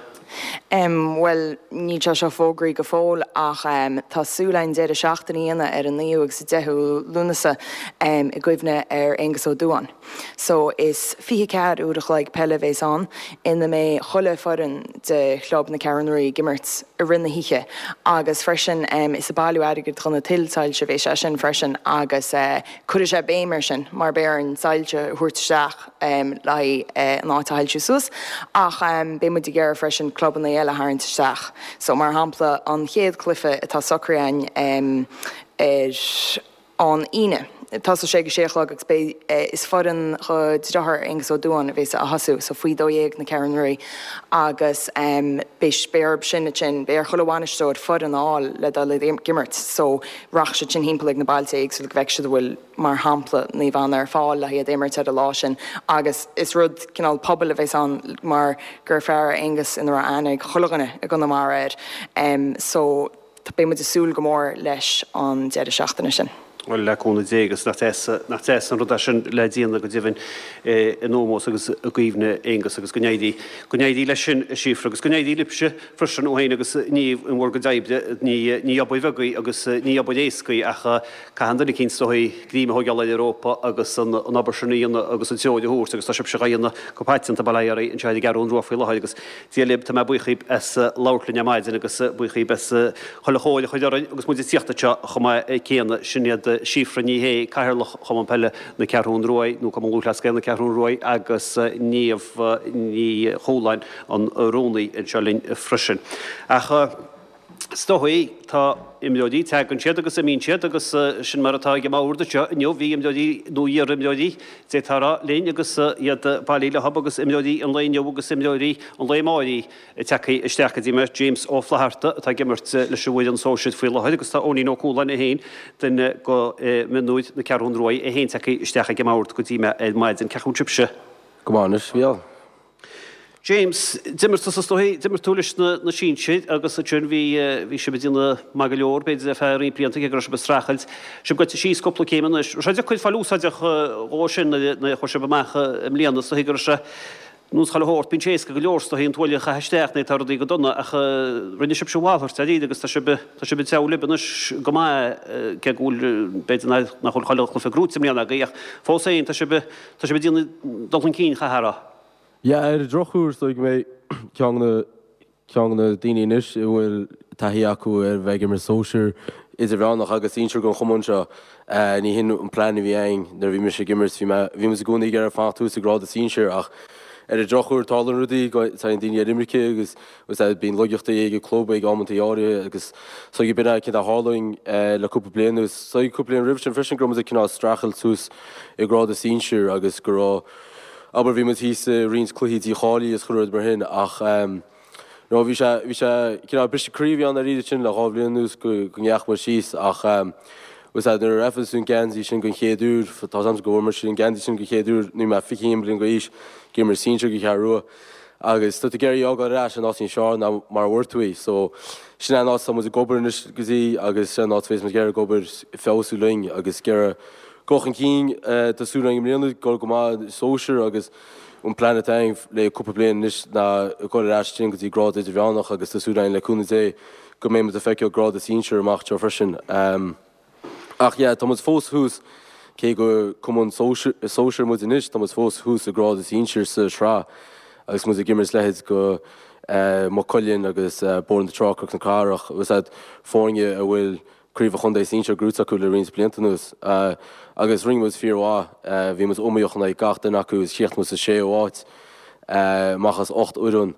Um, well, níl sé seo fógraithe go fóill ach um, tá súil againn deireadh seachtaine a dhéanamh ar an naoú agus deichiú Lúnasa um, i gcuimhne ar Aengus Ó Dúáin. So is fiche ceathair uair a chloig peile a bheas ann ina mbeidh chuile foireann de chlub na Ceathrún Rua ag imirt i rith na hoíche agus freisin um, is ag bailiú airgid chun na tuilsoilse a bheidh sé sin freisin agus uh, cuirfidh sé béim air sin mar beidh orainn soilse a thabhairt isteach um, le haghaidh uh, an áit a shoilsiú suas ach um, beidh muid ag iarraidh freisin clubanna eile a tharraingt isteach. So mar shampla an chéad cluiche atá socraithe againn um, ar an Aoine. Tá sé ag sé chlog agus beidh eh, is foireann do dheartháir Aengus Ó Dúáin a bheas ag tosú, so faoi dó dhéag na Ceathrún Rua agus um, beidh beidh sin sin beidh ar chuile bhainisteoir foireann a fháil le dul ag imirt, so rachaidh siad sin thimpeall ag na bailte éagsúla go bhfeicfidh siad an bhfuil mar shampla Naomh Anna ar fáil le hiad imirt ar an lá sin agus is rud cineál pobail a bheas ann mar gur fear Aengus ina raibh aithne ag chuile dhuine i gConamara air. Um, so beidh muid ag súil go mór leis an deireadh seachtaine sin. Well le cúnamh Dé agus nach deas nach deas an rud é sin le déanamh go deimhin in ómós agus i gcuimhne Aengus agus go n-éirí go n-éirí leis sin a Síofra agus go n-éirí libhse freisin ó féin agus ní an bhur gcuid oibre ní ní obair bheag í agus ní obair éasca í ach caitheann duine eicínt is dóigh greim a thógáil ar an rópa agus an an obair sin a dhéanamh agus an treoir a thabhairt agus tá sibhse á dhéanamh go paiteanta bail ó Dhia oraibh anseo ar an gCeathrú Rua faoi láthair agus Dia libh tá mé buíoch díbh as labhairt linn ar maidin agus buíoch díbh as chuile chomhairle a chur orainn agus muid ag tíocht anseo chomh maith céanna sin iad Síofra Ní Shé Cathaoirleach Chumann Peile na Ceathrún Rua nó Cumann Lúthchleas Gael na Ceathrún Rua agus Niamh Ní Chualáin an rúnaí anseo linn freisin. Ach is dóigh tá imreoirí tagann siad agus imíonn siad agus sin mar atá ag an mbord anseo inniu bhí imreoirí nó iar-imreoirí d'fhéadfá a rá linn agus iad bailithe leo agus imreoirí an lae inniu agus imreoirí an lae amárach tagtha isteach go dtí mé James Ó Flatharta atá ag imirt leis an bhfoireann sóisir faoi láthair agus tá Eoinín Ó Cualáin é féin duine de mhionúir na Ceathrún Rua é féin tagtha isteach ag an mbord go dtí mé ar maidin cén chaoi a bhfuil sibhse. Go maith anois, Mhícheál. James, d'imir tú is dóigh d'imir tú leis na na sinsir agus ansin bhí bhí sibh ag déanamh maith go leor b'fhéidir ar feadh roinnt blianta cé go raibh sibh ag streachailt. Sibh gaibhte síos cúpla céim anois. Raibh sé deacair fáil úsáideach dhó sin nuair a chuaigh sibh amach i mbliana is dóigh go raibh sé nós chuile shórt bíonn sé éasca go leor is dóigh an tuaille a chaitheamh isteach nuair atá rudaí go dona ach rinne sibhse a mhalairt dáiríre agus tá sibh tá sibh ag treabhadh libh anois go maith cé go bhfuil b'fhéidir nach bhfuil chuile chluiche gnóite i mbliana agaibh ach fós féin tá sibh tá sibh ag déanamh dul chun cinn chaithfeá a rá. Yeah, ar an drochuair is dóigh go mbeidh ceann de na ceann de na daoine anois a bhfuil taithí acu ar bheith ag imirt sóisir idirmheánach agus sinsir den chumann seo. Ní hin an plean a bhí againn nuair a bhí mise ag imirt, bhí mé bhí muid i gcónaí ag iarraidh fanacht thuas i grád sinsir ach ar an drochuair tarlaíonn rudaí tagann daoine ar imirce agus agus bíonn laigeachtaí ag an club ag amantaí áirithe agus so b'in é céard a tharla le cúpla bliain anuas. So cúpla bliain roimh sin freisin go raibh muid ag cineál streachailt suas i grád sinsir agus go raibh abair bhí muid thíos i roinnt cluichí dícháilithe is chuile rud mar sin ach no bhí sé bhí sé cineál briseadh croí a bhí ann dáiríre sin le dhá bhliain anuas go go ndeachaigh muid síos ach bhfuil a fhios agat nuair a fhaigheann tú an geansaí sin den chéad uair tá a fhios agam go bhfuair muid an geansaí sin den chéad uair nuair bhí mé fiche haon bliain d'aois ag imirt sinsir don Cheathrú Rua Agus tá tú ag iarraidh í a fhágáil ar ais in áit níos fearr ná mar a bhfuair tú í. So sin é an áit atá muid ag obair anois go dtí agus sin an áit a bheas muid ag iarraidh ag obair feabhsú linn agus ag iarraidh dul chun cinn tá súil againn i mbliana dul go maith sóisear agus an plean atá againn le cúpla bliain anois ná dul ar ais ansin go dtí grád idirmheánach agus tá súil againn le cúnamh Dé go mbeidh muid ag feiceáil grád sinsir amach anseo freisin. Ach yeah, tá muid fós thuas, cé gur cumann sóisir muid anois, tá muid fós thuas i grád sinsir sa sraith agus muid ag imirt leithéid go Maigh Cuilinn agus Bóthar na Trá, Cnoc na Cathrach, agus iad foirne a bhfuil craobh an chontae sinsir gnóite acu le roinnt blianta anuas. Agus rinne muid fíormhaith, bhí muid iomaíoch in aghaidh gach duine acu agus chríochnaigh muid sa séú háit amach as ocht bhfoireann.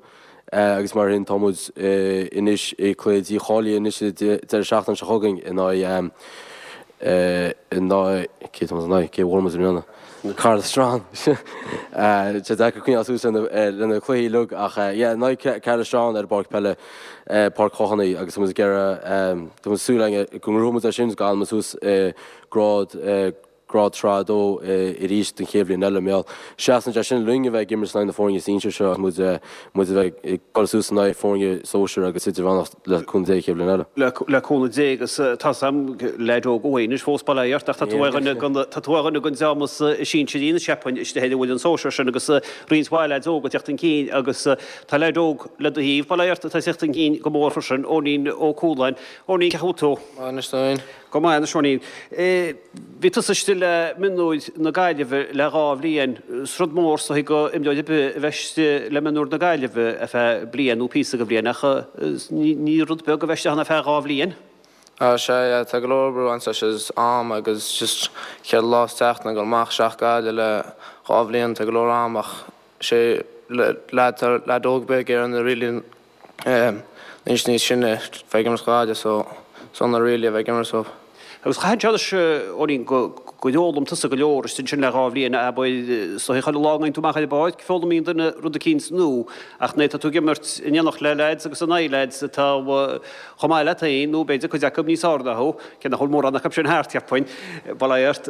Agus mar sin tá muid anois i cluiche dícháilithe anois an deireadh seachtaine seo chugainn in aghaidh in aghaidh cé tá muid in aghaidh cé a bhuail muid i mbliana? Caherlistrane. Tá sé deacair coinneáil suas lena na cluichí uilig ach yeah in aghaidh Caherlistrane ar an bpáirc peile Páirc Chochanaigh agus tá muid ag iarraidh tá muid súil againn go ngnóthóidh muid é sin agus go bhfanfaidh muid suas i grád Grád Sraith a Dó arís don chéad bhliain eile. Mar seasann sé sin linn a bheith ag imirt in aghaidh na foirne sinsir seo agus muid muid a bheith ag dul suas in aghaidh foirne sóisir agus idirmheánach le cúnamh Dé an chéad bhliain eile. Le cúnamh Dé agus tá's a'm leaid óg thú anois fós bail ó Dhia ort ach tá tú ar dhuine den tá tú ar dhuine den dream is sinsearaí anois cheapfainn istigh ar an bhfoireann sóisir sin agus roinnt mhaith leaids óga ag teacht chun cinn agus tá leaid óg le do thaobh bail ó Dhia ort atá ag teacht chun cinn go mór freisin, Eoinín Ó Cualáin. Eoinín cén chaoi a bhfuil tú? Maith anois féin. Go maith anois, Eoinín. Bhí tusa istigh le mionúir na Gaillimhe le dhá bhliain. Is rud mór is dóigh do imreoir ar bith a bheith istigh le mionúir na Gaillimhe ar feadh bliain nó píosa de bhliain ach ní rud beag a bheith istigh ann ar feadh dhá bhliain. Á sea, yeah, tá go leor obair ag baint leis is am agus just ceithre lá sa tseachtain ag dul amach isteach Gaillimh le dhá bhliain, tá go leor am ach sé leaid, tá leaid óg beag ar na really Anois níos sine bheith ag imirt Gaillimh so sona really a bheith ag imirt dóibh. Agus chaithfeadh sé anois, Eoinín, go gur fhoghlaim tusa go leor istigh ansin le dhá bhliain, abair, is dóigh chuile lá a ngabhann tú amach ar an bpáirc, foghlaimíonn duine rud eicínt nua, ach nuair atá tú ag imirt in éineacht le leaids agus in aghaidh leaids atá chomh maith leat féin, nó b'fhéidir cuid acu níos fearr ná thú, cé nach bhfuil mórán acu sin thart, cheapfainn, bail ó Dhia ort.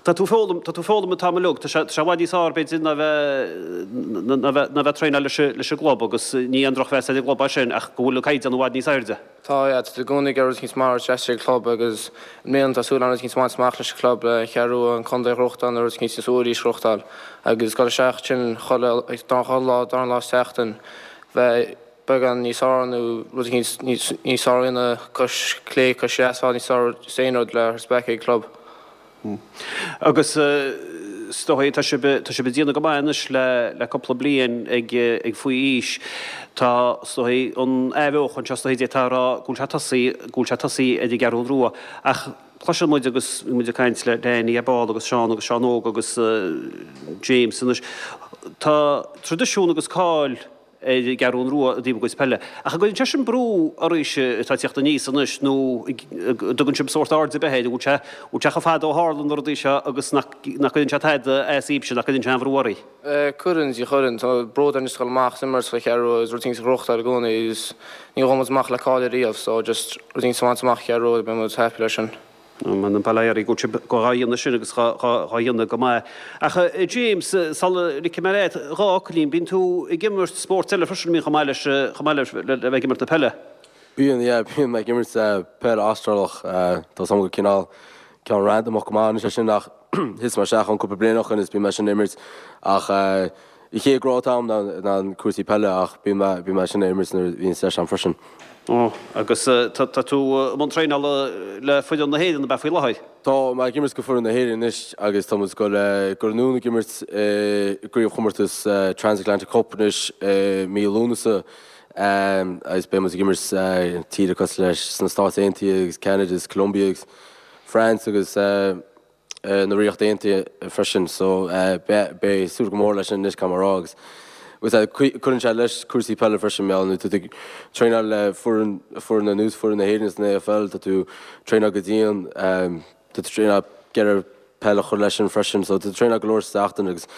Tá tú ag foghlaim, tá tú ag foghlaim an t-am uilig, tá sé, tá sé i bhfad níos fearr b'fhéidir ná bheith, ná bheith, ná bheith ag traenáil leis, leis an gclub agus ní aon drochmheas ar an gclub é sin ach go bhfuil an caighdeán i bhfad níos airde. Tá, yeah, tá tú i gcónaí ag iarraidh rud eicínt maith a thabhairt ag an gclub agus i mbliana tá súil agam rud eicínt a bhaint amach leis an gclub, le an Cheathrú Rua, an contae a ghnóthachtáil nó rud eicínt níos mó arís a ghnóthachtáil agus dul isteach ansin chuile, chuile lá, dara lá sa tseachtain, bheith beagán níos fearr nó rud eicínt níos fearr a dhéanamh, cois clé, cois dheas, fáil níos fearr is aon rud le spreagadh ag club. Agus is dóigh tá sibh tá sibh ag déanamh go maith anois le le cúpla bliain ag ag faoi aois. Tá is dóigh an athbheochan seo is dóigh d'fhéadfá a rá go bhfuil sé tosaithe go bhfuil sé tosaithe ar an gCeathrú Rua ach cloiseann muid agus bhí muid ag caint le Danny ar ball agus Seán agus Seán Óg agus James anois. Tá traidisiún agus cáil ar an gCeathrú Rua i dtaobh a gcuid peile. Ach an gcuireann sé sin brú oraibhse atá ag teacht aníos anois nó an dtugann sibh sórt aird ar bith air, an bhfuil sé, bhfuil sé chomh fada ó tharla na rudaí seo agus nach, nach gcuireann sé tada asaibhse, nach gcuireann sé aon bhrú oraibh? Cuireann, sea cuireann. Tá bród orainn just dul amach is imirt don Cheathrú Rua agus rud éicint a ghnóthachtáil i gcónaí agus ní ghabhann muid amach le cáil ariamh so just rud éicint a bhaint amach Cheathrú Rua beidh muid happy leis sin. Bail ó Dhia oraibh go bhfuil sibh dhá dhéanamh sin agus dhá dhéanamh go maith. Ach a James, sula ligfidh mé leat, dhá fhocailín, bíonn tú ag imirt spóirt eile freisin, bíonn chomh maith leis, chomh maith le bheith ag imirt na peile? Bíonn, yeah, bíonn mé ag imirt peil Astrálach. Tá 's agam gur cineál ceann randamach go maith anois é sin ach thit mé isteach ann cúpla bliain ó shin is bíonn mé sin ag imirt ach An chéad ghrá atá agam ná cúrsaí peile ach bíonn mé bíonn mé sin ag imirt nuair a bhíonn deis agam freisin. Ó, agus tá tá tú i mbun traenála le foireann na hÉireann ab ea faoi láthair? Tá mé ag imirt go foireann na hÉireann anois agus tá muid ag dul ag dul anonn ag imirt i gcraobhchomórtas Transatlantic Cup anois i mí Lúnasa agus beidh muid ag imirt tíortha cosúil leis sna Stáit Aontaithe agus Canada agus Colombia agus France agus na Ríocht Aontaithe freisin so beidh súil go mór leis sin anois caithfidh mé a rá agus cuireann sé leis cúrsaí peile freisin mar nuair atá tú ag traenáil le foireann foireann ar nós foireann na hÉireann san AFL tá tú traenáil go dian tá tú traenáil ag iarraidh peil a chur leis sin freisin so tá tú traenáil go leor sa tseachtain agus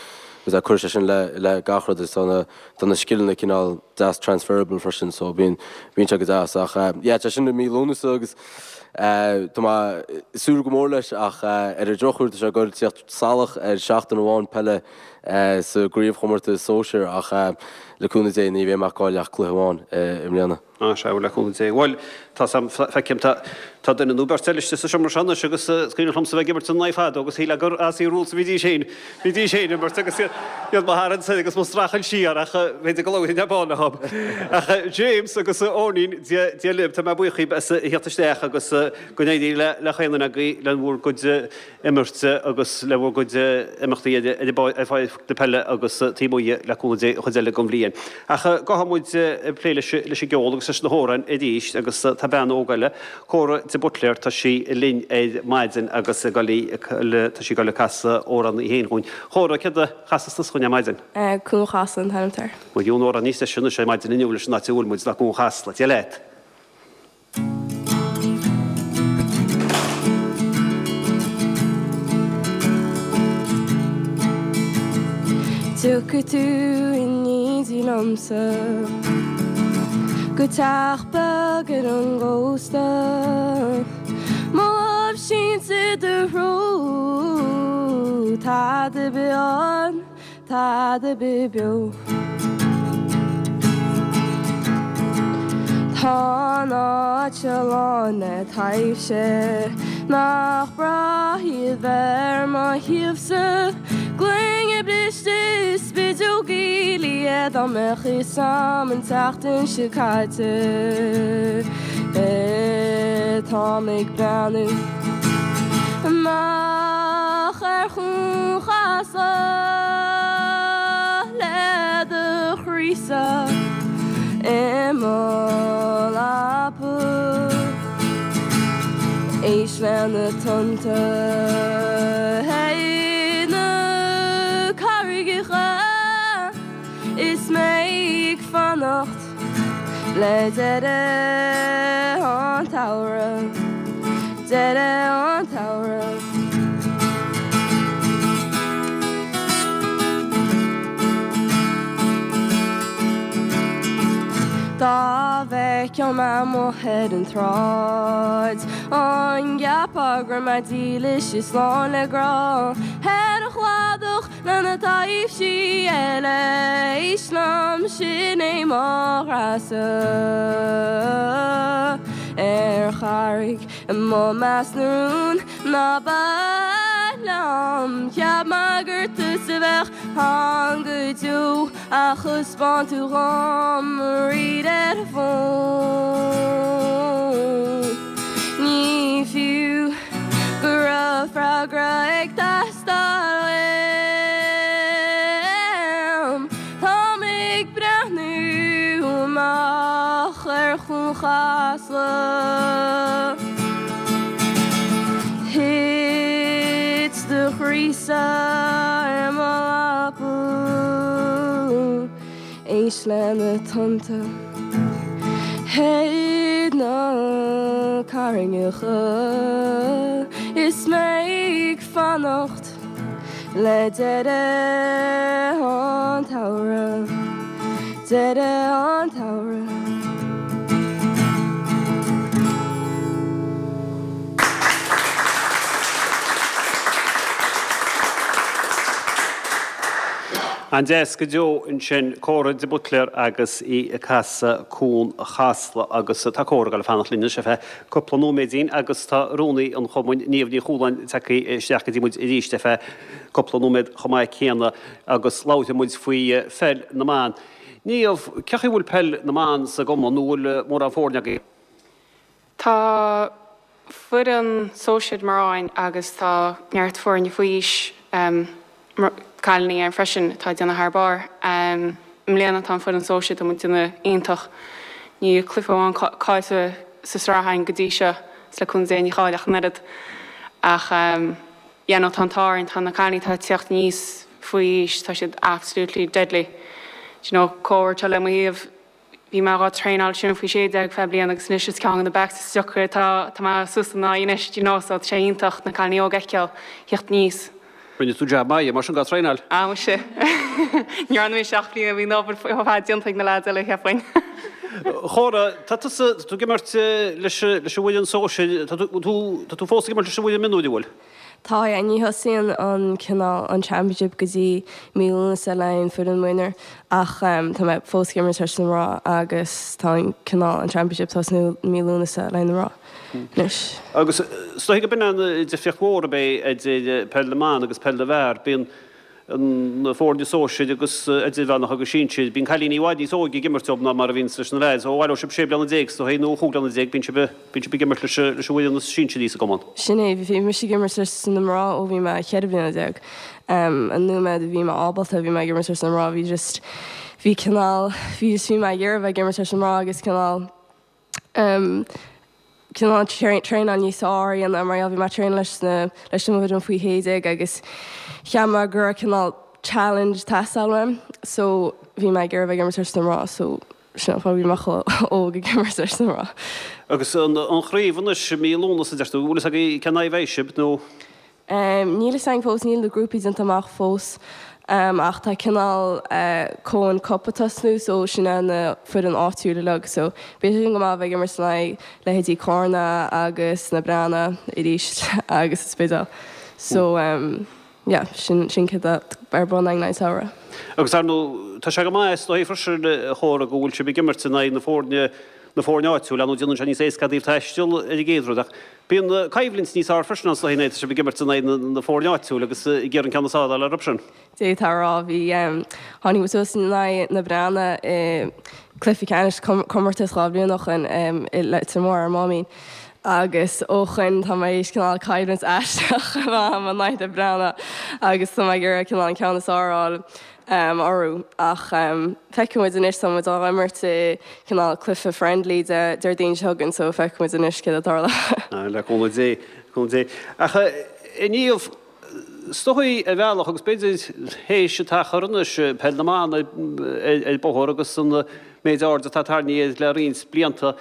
cuireann sé sin le le gach rud agus tá na tá na scileanna cineál deas transferable freisin so bíonn bíonn sé go deas ach yeah tá sin i mí Lúnasa agus Tá mé ag súil go mór leis ach ar an drochuair tá sé ag dul teacht salach ar seachtain amháin peile sa gcraobhchomórtas sóisir ach le cúnamh Dé ní bheidh mé ag cailleadh ach cluiche amháin i mbliana. Á sea, le cúnamh Dé. Bhuel, tá 's a'm, feicim, tá tá duine nó beirt eile istigh sa seomra seo anois agus is cuimhin liomsa bheith ag imirt ina n-aghaidh fadó agus shílfeá gur Aussie Rules a bhídís féin, bhídís féin ag imirt agus iad mo tharraingt soir agus mo streachailt siar ach b'fhéidir go labharfainn ar ball leo. Ach James agus Eoinín, Dia Dia libh, tá mé buíoch dhaoibh as a theacht isteach agus go n-éirí le le chaon duine agaibh le bhur gcuid imirte agus le bhur gcuid imeachtaí ar ar ar pháirc na peile agus taobh amuigh le cúnamh Dé an chuid eile den bhliain. Ach gabhfaidh muid ag plé leis leis an gceol agus leis na hamhráin arís agus tá bean óg eile, Córa de Buitléar, tá sí linn ar maidin agus ag dul tá sí ag dul ag casadh amhrán í féin dhúinn. Córa, céard a chasfas tusa dhúinn ar maidin? Cuan Chasla an t-ainm atá air. Bhuel, gheobhaidh an amhrán níos deise anois ar maidin inniu leis an áit a bhfuil muid ná Cuan Chasla. Dia leat. Tiocfaidh tú in éindí liomsa Go teach beag ar an gcósta Mo lámh sínte i do threo Tada ar bith ann Tada ar bith beo. Tá an áit seo lán le taibhse Nach breá iad bheith ar mo thaobhsa Gloine briste is spideogaí liath Dá mbeadh fhios a'm an tseachtain seo caite Táim ag breathnú amach ar Chuan Chasla le do chroí-sa i mo leaba. Éist le na tonnta ar na carraigeacha is mé ag fanacht le deireadh an tsamhraidh, deireadh an tsamhraidh. Dá bhfeicfeá mé amuigh ar an tsráid, an gceapfá go raibh mé dílis is lán le grá ar an chladach le na taibhsí eile, éist liom, sin é mo ghrá-sa ar charraig amuigh i measc na rún ná bac liom. Cheap mé gur tusa a bheadh ann go deo ach thaispeáin tú dhom tríd ar an bhfón. Ní fiú go raibh freagra ag teastáil uaim. Táim ag breathnú amach ar Chuan Chasla. Thit do chroí-sa ar mo leaba. Éist le na tonnta ar na carraigeacha is mé ag fanacht le deireadh an tsamhraidh, deireadh an tsamhraidh. An-deas go deo ansin, Córa de Buitléar agus í ag casadh Cuan Chasla agus tá Córa ag dul a fanacht linn anois ar feadh cúpla nóiméidín agus tá rúnaí an chumainn, Niamh Ní Chualáin, tagtha isteach go dtí muid arís ar feadh cúpla nóiméad chomh maith céanna agus labharfaidh muid faoi pheil na mban. Niamh, cé chaoi bhfuil peil na mban sa gcumann nó bhfuil mórán foirne agaibh? Tá foireann sóisir mná againn agus tá neart foirne faoi aois cailíní ann freisin atá ag déanamh thar barr. I mbliana tá an foireann sóisir, tá muid ag déanamh iontach. Níl cluiche amháin caillte sa sraith againn go dtí seo, is le cúnamh Dé ní chaillfidh ach an oiread. Ach yeah no tá an t-ádh orainn, tá na cailíní atá ag teacht aníos faoi aois, tá siad absolutely deadly. Do you know, Córa atá le mo thaobh, Bhí mé dhá traenáil sin faoi sé déag feadh bliana agus anois is ceann de na backs is deacra atá tá mé suas ina aghaidh anois, do you know, so tá sé iontach na cailíní óga a fheiceáil theacht aníos. Rinne tú jab maith mar sin dhá traenáil. Ah muise. Ní dhearna mise ach bhí bhí an obair ar fad déanta ag na lads eile cheapfainn. A Chóra, tá tusa, tá tú ag imirt leis an bhfoireann sóisir, tá tú, tá tú fós ag imirt leis an bhfoireann mionúir, an bhfuil? Tá, yeah, ní thosaíonn an cineál, an championship go dtí mí Lúnasa le haghaidh an foireann mionúir ach tá mé fós ag imirt leis na mná agus tá an cineál, an championship tosnú mí Lúnasa le haghaidh na mná anois. Agus is dóigh go b'in an difríocht mhór ab é idir peil na mban agus peil na bhfear, bíonn na foirne sóisir agus idirmheánach agus sinsir, bíonn cailíní i bhfad níos óige ag imirt leo ná mar a bhíonns leis na leaids. Ó bhail ó sibh sé bliana déag is dóigh nó chúig bliana déag, bíonn sibh bíonn sibh ag imirt leis leis an bhfoireann is sinsearaí sa gcumann. Sin é, bhí mise ag imirt leis na mná ó bhí mé cheithre bliana déag. An nóiméad a bhí mé ábalta bhí mé ag imirt leis na mná, bhí just bhí cineál bhí just bhí mé ag iarraidh bheith ag imirt leis na mná agus cineál cineál traenáil níos fearr a dhéanamh mar gheall bhí mé ag traenáil leis na leis na bhfoireann faoi shé déag agus cheap mé go raibh cineál challenge teastáil uaim so bhí mé ag iarraidh bheith ag imirt leis na mná so sin an fáth bhí mé chomh óg ag imirt leis na mná. Agus an chraobh anois i mí Lúnasa a deir tú, bhfuil fhios agaibh cén aghaidh a bheidh sibh nó? Níl fhios againn fós, níl na grúpaí déanta amach fós ach tá cineál Coen Cup ag tosnú so sin é na foireann áitiúil uilig so beidh sé sin go maith bheith ag imirt in aghaidh leithéidí Carna agus na Breathnaigh arís agus an Spidéal so yeah sin sin céard atá ar bun againn an samhradh. Agus ar ndóigh tá sé go maith is dóigh freisin a Chóra go bhfuil sibh ag imirt in aghaidh na foirne na foirne áitiúil, ar ndóigh déanann sé níos éasca daoibh taisteal ar an gcéad rud ach bíonn coimhlint níos fearr freisin ann is dóigh nuair atá sibh ag imirt in aghaidh na foirne áitiúil agus ag iarraidh an ceann is fearr a fháil orthu sin. D'fhéadfá a rá, bhí, tháinig muid suas in aghaidh na Breathnaigh i gcluiche ceannais comórtas dhá bhliain ó shoin i Leitir Móir ar an Máimín agus ó shoin tá mé théis cineál coimhlint aisteach a bheith agam in aghaidh na Breathnaigh agus tá mé ag iarraidh cineál an ceann is fearr a fháil orthu ach feicfidh muid anois, tá muid á imirt i cineál cluiche friendly Déardaoin seo chugainn so feicfidh muid anois céard a tharla. Le cúnamh Dé, le cúnamh Dé. Ach a Niamh, is dóigh ar bhealach agus b'fhéidir théis an t-achar anois, peil na mban ar bóthar agus an méid aird atá tarraingthe air le roinnt blianta,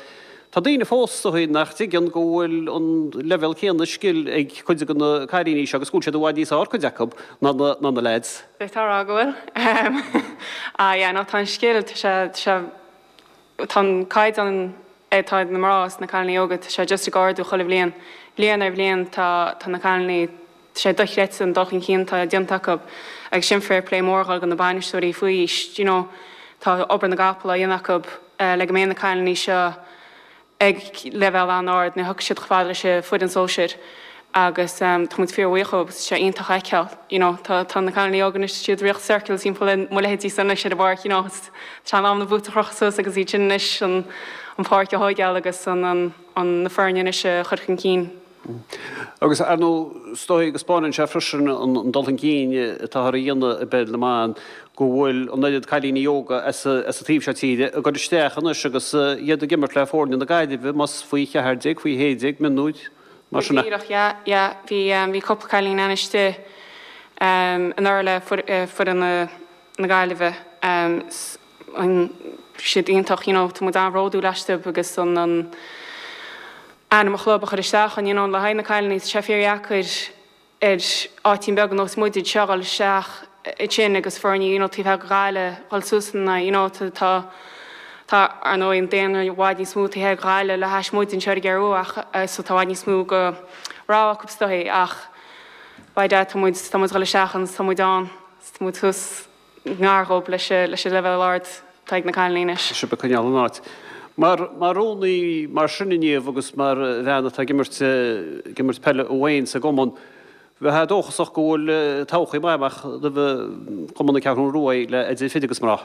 Tá daoine fós is dóigh nach dtuigeann go bhfuil an leibhéal céanna scil ag cuid de na cailíní seo agus go bhfuil siad i bhfad níos fearr, cuid acu, ná na na leaids. D'fhéadfá a rá go bhfuil. Ah yeah, no tá an scil, tá sé, tá sé, tá an caighdeán atá ag na mná is na cailíní óga, tá sé just ag ardú chuile bhliain. Bliain ar bhliain tá, tá na cailíní, tá sé dochreidte an dul chun cinn atá déanta acu agus sin fair play mór a dhul go na bainisteoirí faoi aois, do you know, tá obair na gcapall á dhéanamh acu le go mbeidh na cailíní seo ag leibhéal an-ard nuair a thiocfaidh siad chomh fada leis an foireann sóisir agus tá muid fíorbhuíoch dhóibh agus tá sé iontach a fheiceáil you know tá tá na cailíní óga anois tá siad ag rith circles timpeall mo leithéidí san anois ar an bpáirc you know tá sé in am na boots a chrochadh suas agus iad sin anois an an pháirc a thóigeáil agus an an an na foirne anois a chur chun cinn. Agus ar ndóigh, is dóigh go spáineann sé freisin an dul chun cinn atáthar a dhéanamh i bpeil na mban, go bhfuil an oiread cailíní óga as an taobh seo tíre ag dul isteach anois agus iad ag imirt le foirne na Gaillimhe, más faoi cheathair déag, faoi shé déag, mionúir, mar sin. Go díreach, yeah, yeah. Bhí, bhí cúpla cailín ann istigh anuraidh le foireann na Gaillimhe. An siad iontach, you know, tá muid an-bhródúil astu agus an, an, ainm an chlub a chur isteach ann, you know, le haghaidh na cailíní, tá sé fíordheacair ar áitín beag ar nós muid anseo dhul isteach ansin agus foirne, you know, taobh thoir de Ghaillimh dhul suas ina n-aghaidh, you know, tá, tá, tá, ar ndóigh, an daonra i bhfad níos mó taobh thoir de Ghaillimh le hais muid anseo ar an gCeathrú ach, so tá i bhfad níos mó go rogha acu is dóigh ach by dad tá muid, tá muid dhul isteach ann, tá muid ann, tá muid thuas. ngar dhóibh leis an leibhéal ard atá ag na cailíní anois. Tá sibh ag coinneáil an áit. Mar mar rúnaí mar sin a Niamh agus mar bhean atá ag imirt ag imirt peile amháin sa gcumann, bheifeá dóchasach go bhfuil todhchaí maith amach roimh Chumann na Ceathrún Rua le idir fir agus mná.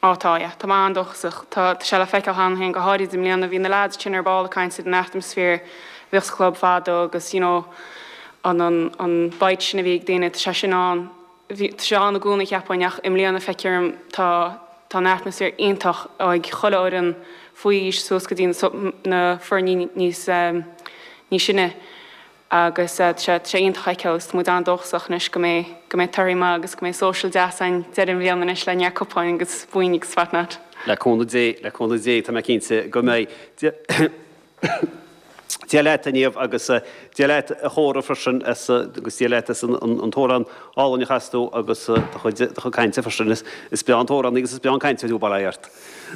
Á tá, yeah. Tá mé an-dóchasach. Tá sé le feiceáil cheana féin, go háirid i mbliana. Bhí na leaids sin ar ball ag caint ar an atmaisféar a bhíodh sa chlub fadó agus you know an an an bite sin a bhí ag daoine, tá sé sin ann. Bhí, tá sé ann i gcónaí cheapfainn ach i mbliana feictear dom tá, tá an atmaisféar iontach ag chuile fhoireann faoi aois suas go dtí na, na foirní níos, níos sine agus tá sé, tá sé iontach a fheiceáil agus tá muid an-dóchasach anois go mbeidh, go mbeidh torthaí maith agus go mbeidh social deas ann deireadh na bliana anois le neart cupáin agus boinn agus what not. Le cúnamh Dé, le cúnamh Dé, tá mé cinnte go mbeidh. Dia leat, a Niamh, agus Dia leat, a Chóra, freisin, agus Dia leat as an t-amhrán álainn a chas tú agus do chuid cainte freisin. Is breá an t-amhránaí agus is breá an cainteoir thú, bail ó Dhia ort.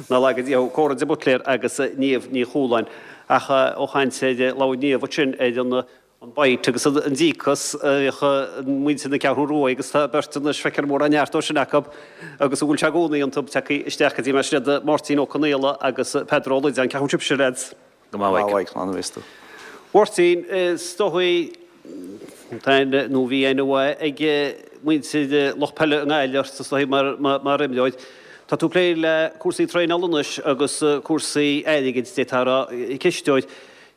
Ná laga Dia thú. Córa de Buitléir agus Niamh Ní Chualáin. Ach ó chaint ar labhair Niamh ansin ar an an bite agus an díocas a bhíodh muintir na Ceathrún Rua agus tá beirt anois feictear mórán neart dó sin acu agus a bhfuil sé i gcónaí iontu tagtha isteach go dtí mé sin iad Máirtín Ó Conaola agus Peadar Ó Loideáin. Cén chaoi a bhfuil sibhse lads? Go maith a Mhaidhc. Slán a bheas tú. Mháirtín, is dóigh tá nó bhí aithne mhaith ag muintir lucht peile i nGaillimh ort is dóigh mar mar imreoir. Tá tú ag plé le cúrsaí traenála anois agus cúrsaí airgid d'fhéadfá a rá, cisteoir.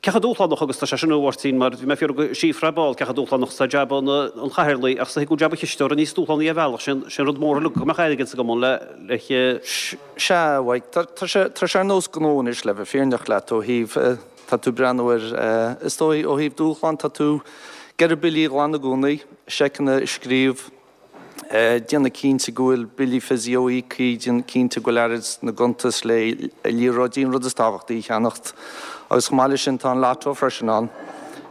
Cé chomh dúshlánach agus tá sé sin a Mháirtín mar bhí mé ag fiafraí de Shíofra ar ball cé chomh dúshlánach is atá jab an an chathaoirligh ach is dóigh go bhfuil jab an chisteora níos dúshlánaí ar bhealach, sé an sé an rud mór uilig go mbeadh airgead sa gcumann le le Sea, a Mhaidhc, tá tá sé tá sé ar nós gnó anois le bheith fírinneach leat ó thaobh tá tú ag breathnú ar is dóigh ó thaobh dúshlán tá tú ag iarraidh billí a ghlanadh i gcónaí, seiceanna a scríobh, déanamh cinnte go bhfuil billí physio íoctha, déanamh cinnte go bhfuil airgead sna gcuntais le liathróidí, an rud is tábhachtaí, a cheannacht. Agus chomh maith leis sin tá an lotto freisin ann.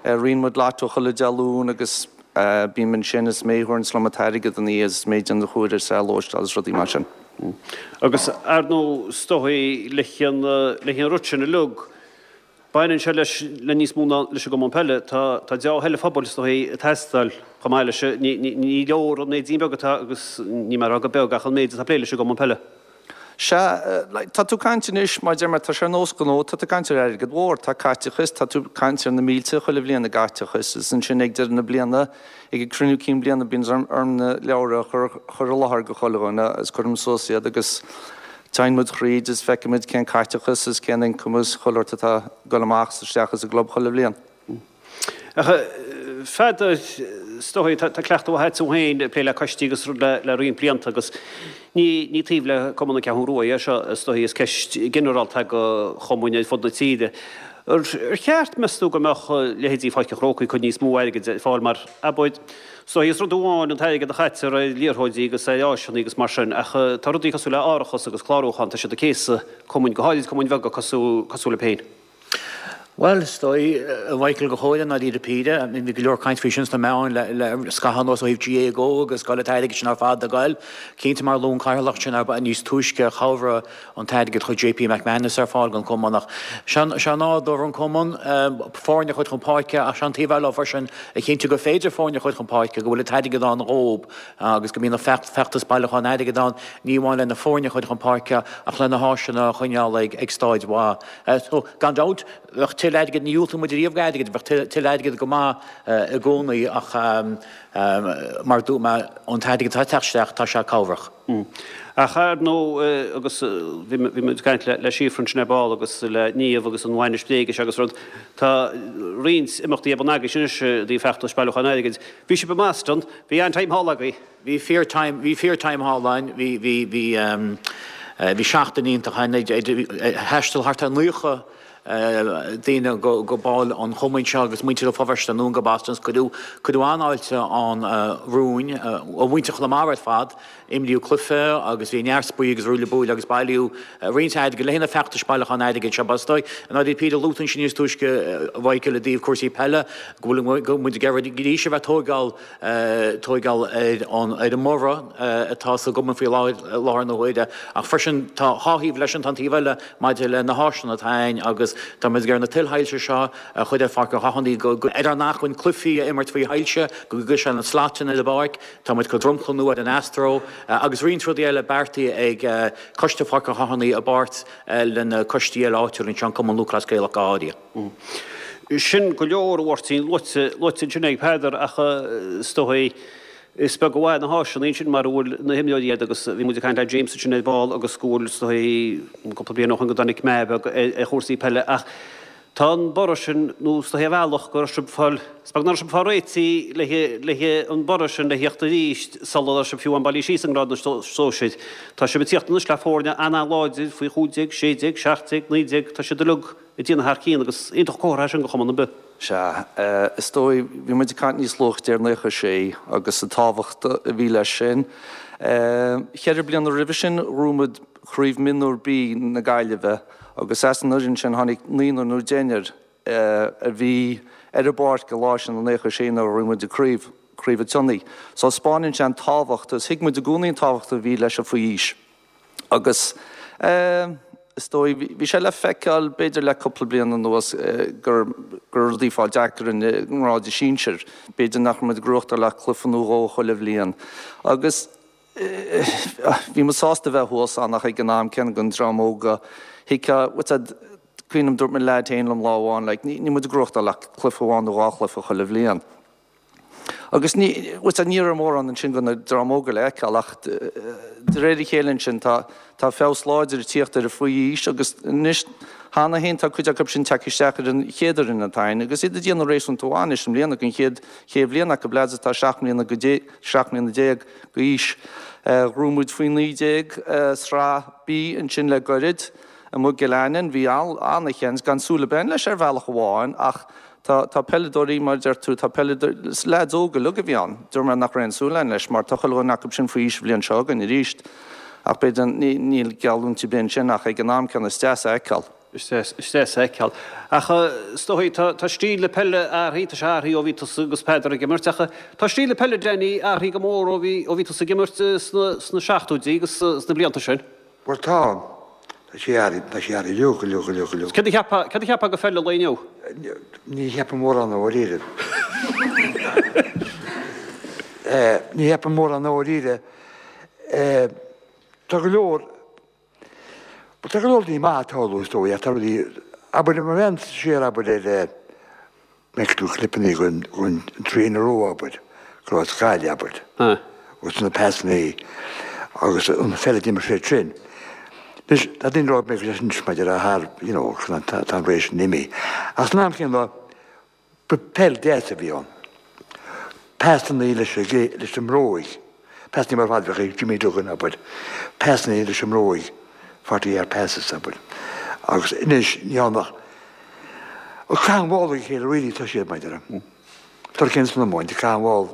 Ritheann muid lotto chuile Dé Luain agus bím ansin is mé a thabharanns liom an t-airgead an oíche is mé a déanann an chóir is é a lóisteáil is rudaí mar sin. Agus ar ndóigh is dóigh leis an rud sin uilig, Baineann sé leis le níos mó ná leis an gcumann peile. Tá tá deá-thoil an phobail is dóigh ag teastáil chomh maith leis. Ní ní ní leor an méidín beag atá agus ní mé a rá gur beag ach an méid atá ag plé leis an gcumann peile. Sea, like, tá tú ag caint anois, mar a deir mé, tá sé ar nós gnó, tá tú ag caint ar airgead mhór, tá caiteachas, tá tú ag caint ar na mílte chuile bhliain i gcaiteachas is ansin ag deireadh na bliana, ag an cruinniú cinn bliana bíonn orm orm na leabhra a chur chur i láthair go chuile dhuine agus cuirim suas iad agus Téann muid thríd is feicfidh muid cén caiteachas is cén ioncam is chuile shórt atá ag dul amach is isteach as an gclub chuile bhliain. Ach a Pheadair, is dóigh, tá cleachtadh mhaith agat féin ag plé le coistí agus rud le roinnt blianta agus ní ní taobh le Cumann na Ceathrún Rua é seo, is dóigh, is ceist ghinearálta é do chumainn ar fud na tíre. Ar cheart, meas tú, go mbeadh leithéidí Pháirc an Chrócaigh cuid níos mó airgid ar fáil mar, abair, is dóigh, is rud amháin an t-airgead a chaitear ar liathróidí agus ar áiseanna agus mar sin, ach tá rudaí cosúil le árachas agus clárúchán, tá siad ag céasadh cumainn, go háirid cumainn bheaga cosúil cosúil libh féin. Bhuel, is dóigh, a Mhichael, go háirithe i ndáiríre píre, bhí go leor caint faoi sin sna meáin le le scaitheamh anuas ó thaobh GAA Go agus cá bhfuil an t-airgead sin ar fad ag goil. Cinnte mar a luaigh an Cathaoirleach sin níos túisce chabhraigh an t-airgead a chuir JP McManus ar fáil don chumann ach sé nádúr an chumainn foirne a chur chun páirce ach sé an taobh eile freisin a chinntiú gur féidir foirne a chur chun páirce, go bhfuil an t-airgead ann dhóib agus go mbíonn an feachtas bailiúcháin airgid ann ní amháin le na foirne a chur chun páirce ach le na háiseanna a choinneáil ag staid mhaith. So gan dabht bheadh tuilleadh airgid, ní dhiúltaíonn muid riamh d'airgead, bheadh tuilleadh airgid go maith i gcónaí ach mar a dúirt mé an t-airgead atá ag teacht isteach tá sé cabhrach. Ach ar ndóigh, agus bhí muid ag caint le Síofra ansin ar ball agus le Niamh agus an bhainis bhréige agus rud, tá roinnt imeachtaí ar bun agaibhse anois i dtaobh feachtais bailiúcháin airgid. Bhí sibh i mBoston, bhí an-time thall agaibh. Bhí fíor-time, bhí fíor-time thall ann, bhí, bhí, bhí, bhí seachtain iontach ann, thaistil thart ar naocha daoine go baill an chumainn seo agus muintir Fho Bhfeirste anonn go Boston agus cuireadh, cuireadh an-fháilte ann romhainn, ó mhuintir Chonamara ar fad. Imríodh cluiche agus bhí neart spraoi agus ruaille buaille agus bailíodh roinnt airgid le haghaidh na feachtais bailiúcháin airgid seo. Ba is dóigh, i ndáiríre píre, luaigh tú ansin níos túisce, a Mhichael, i dtaobh cúrsaí peile, go bhfuil, go bhfuil muid ag iarraidh arís a bheith ag tóigeáil, tóigeáil ar an, ar an mborradh atá sa gcumann faoi láthair, i láthair na huaire. Ach freisin tá dhá thaobh leis sin, tá an taobh eile maidir le na háiseanna atá againn agus tá muid ag iarraidh na tuilshoilse seo a chur ar Pháirc an Chathánaigh go, go, ar ár n-acmhainn cluichí a imirt faoi shoilse, go gcuirfidh sé na slaitéanna ar an bpáirc. Tá muid ag cur dromchla nua ar an Astro agus roinnt rudaí eile beartaithe ag Coiste Pháirc an Chathánaigh i bpáirt le na coistí eile áitiúla anseo, an Cumann Lúthchleas Gaelach go háirithe. Sin go leor, a Mháirtín, luaite luaite ansin ag Peadar ach is dóigh is beag an mhaith na háiseanna ansin mara bhfuil na himreoirí agat agus bhí muid ag caint le James ansin ar ball agus go bhfuil is dóigh cúpla bliain ó shin go dtáinig meath beag ar chúrsaí peile ach tá an borradh sin nó is dóigh ar bhealach go raibh sibh fáil is beag nach raibh sibh fáil réitithe le le an borradh sin le theacht arís sula raibh sibh fiú amháin bailithe síos i ngrád na sóisir. Tá sibh ag tíocht anois le foirne an-an-láidir faoi chúig déag, sé déag, seacht déag, naoi déag, tá siad uilig ag déanamh thar cionn agus iontach comhartha é sin do chumann ar bith. Sea, is dóigh, bhí muid ag caint níos luaithe ar naocha sé agus an tábhacht a bhí leis sin. Cheithre bliana roimhe sin ghnóthaigh muid Craobh Mionúr B na Gaillimhe agus as an fhoireann sin tháinig naonúr nó deichniúr a bhí ar an bpáirc an lá sin i naocha sé nuair a ghnóthaigh muid an craobh, Craobh an tSionnaigh. So 'spáineann sé an tábhacht agus thuig muid i gcónaí an tábhacht a bhí leis an faoi aois agus eh, is dóigh, bhí sé le feiceáil b'fhéidir le cúpla bliain anuas gur go raibh rudaí ag fáil deacair i ngrád sinsir. B'fhéidir nach raibh muid ag gnóthachtáil ach cluiche nó dhó chuile bhliain. Agus bhí muid sásta bheith thuas ann ach ag an am céanna don dream óg thuigfeá, what's that, cuimhním dúirt mo leaid féin liom lá amháin like níl muid ag gnóthachtáil ach cluiche amháin nó dhá chluiche chuile bhliain. Agus ní, what's that, ní raibh mórán ansin do na dream óga le feiceáil ach de réir a chéile ansin tá, tá feabhas láidir ag tíocht ar an faoi aois agus anois cheana féin tá cuid acu sin tagtha isteach ar an chéad fhoireann atá ann agus iad ag déanamh réasúnta mhaith anois i mbliana don chéad, chéad bhliain acu, leaids atá seacht mbliana go dé, seacht mbliana déag d'aois. Ghnóthaigh muid faoi naoi déag sraith B ansin le goirid amuigh i gCill Aininn. Bhí an-sheans, gan súil ar bith leis ar bhealach amháin ach Tá, tá peileadóirí, mar a deir tú, tá peileadóirí, is leaids óga uilig a bhí ann. Dúirt mé nach raibh aon súil againn leis mar tá chuile dhuine acu sin faoi aois an bhliain seo chugainn arís. Ach b'fhéidir, ní, níl geallúint ar bith ansin ach ag an am céanna is deas a fheiceáil. Is deas, is deas a fheiceáil. Ach is dóigh, tá, tá stíl na peile athraithe, tá sé athraithe ó bhí tusa agus Peadar ag imirt ach tá stíl na peile, Danny, athraithe go mór ó bhí, ó bhí tusa ag imirt sna, sna seachtóidí agus sna blianta sin. Bhuel tá. Tá sé athraithe, tá sé athraithe go leor, go leor, go leor. Céard a cheapfá, céard a cheapfá de pheil an lae inniu? Ní cheapaim mórán i ndáiríre. Ní cheapaim mórán i ndáiríre. Tá go leor, tá go leor daoine maith ag tarlú is dóigh, ach tá rudaí, abair, má bhreathnaíonn tú siar abair ar, Bhfeic tú clipeanna den three in a row abair, go raibh Gaillimh abair, agus na pasannaí agus an pheil a d'imir siad sin. Anois, tá daoine ag rá go mbeidh anois maidir le thar, you know, tá an ré sin imithe. Ach san am chéanna, ba peil deas a bhí ann. Pasannaí leis leis an mbróig, pasannaí mar fad bheadh ag Jimmy Duggan abair, pasannaí leis an mbróig, forty yard passes abair. Agus anois, ní ann ach Ag caitheamh an bhall ag a chéile really tá siad maidir le tar cén san iomáint ag caitheamh an bhall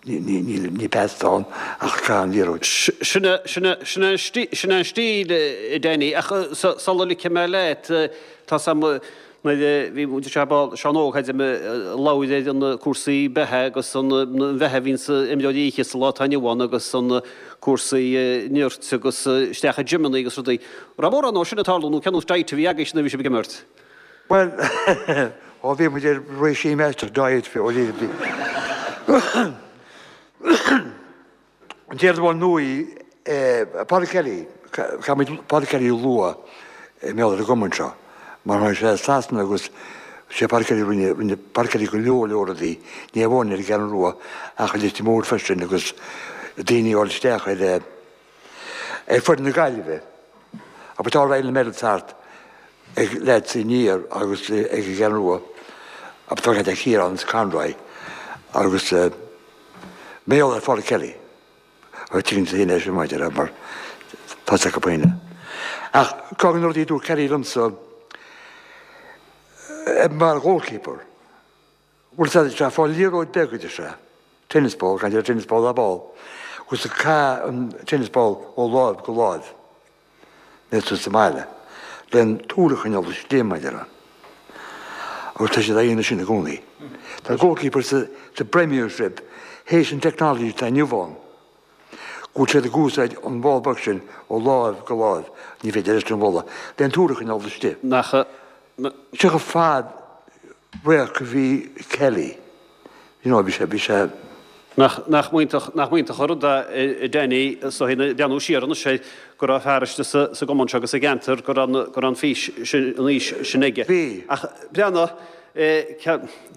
ní ní ní ní pas atá ann ach ag caitheamh an liathróid. Sin é sin é sin é an stíl sin é an stíl a Danny ach sula ligfidh mé leat tá 's a'm nuair a bhí muid anseo ball Seán Óg thaid ag labhairt ar na cúrsaí beatha agus an bheatha a bhíonn sa imreoirí oíche sa lá atá inniu ann agus an cúrsaí nirt agus isteach i gymeanna agus rudaí. Raibh mórán dó sin ag tarlú nó cén nós diet a bhí agaibhse nuair a bhí sibh ag imirt? Bhuel, ó bhí muid ar regime aisteach diet ó bhí bhí. An chéad amháin ndóigh, Pádraig Kelly, caithfidh muid Pádraig Kelly a lua i mbealach ar an gcumann seo, mar tháinig sé as Sasana agus sé Pádraig Kelly rinne, rinne Pádraig Kelly go leor leor rudaí, ní amháin ar an gCeathrú Rua ach i Leitir Móir freisin agus daoine a fháil isteach ar ar foireann na Gaillimhe. Abair tá All Ireland medals thart ag leaids Aniar agus ag an gCeathrú Rua, abair tá ag Ciarán is Conroy agus Mayo ar Phádraig Kelly. Agus tuigeann tú féin é sin maidir mar tá sé acu féin. Ach ceann de na rudaí a dúirt Kelly liomsa mar goalkeeper, bhfuil sé sé fáil liathróid beag a deir sé, tennis ball, gan deir tennis ball ná ball, agus caith an tennis ball ó láimh go láimh. Níl tú sa mbaile le an tsúil a choinneáil istigh maidir le. Agus tá siad á dhéanamh sin i gcónaí. Tá goalkeepers sa sa Premiership théis an technology atá inniu ann, go bhfuil siad ag úsáid an ball beag sin ó láimh go láimh, ní féidir leis an bhulla, le an tsúil a choinneáil istigh. Nach. Seo chomh fad radharc a bhí Kelly, you know, bhí sé, bhí sé. Nach, nach iontach, nach iontach an rud é a Danny, is dóigh, ag breathnú siar anois air, go raibh fear istigh sa, sa gcumann seo agus sa gceantar, go raibh an, go raibh an fís sin, an fhís sin aige. Bhí. Ach breathnaigh, eh,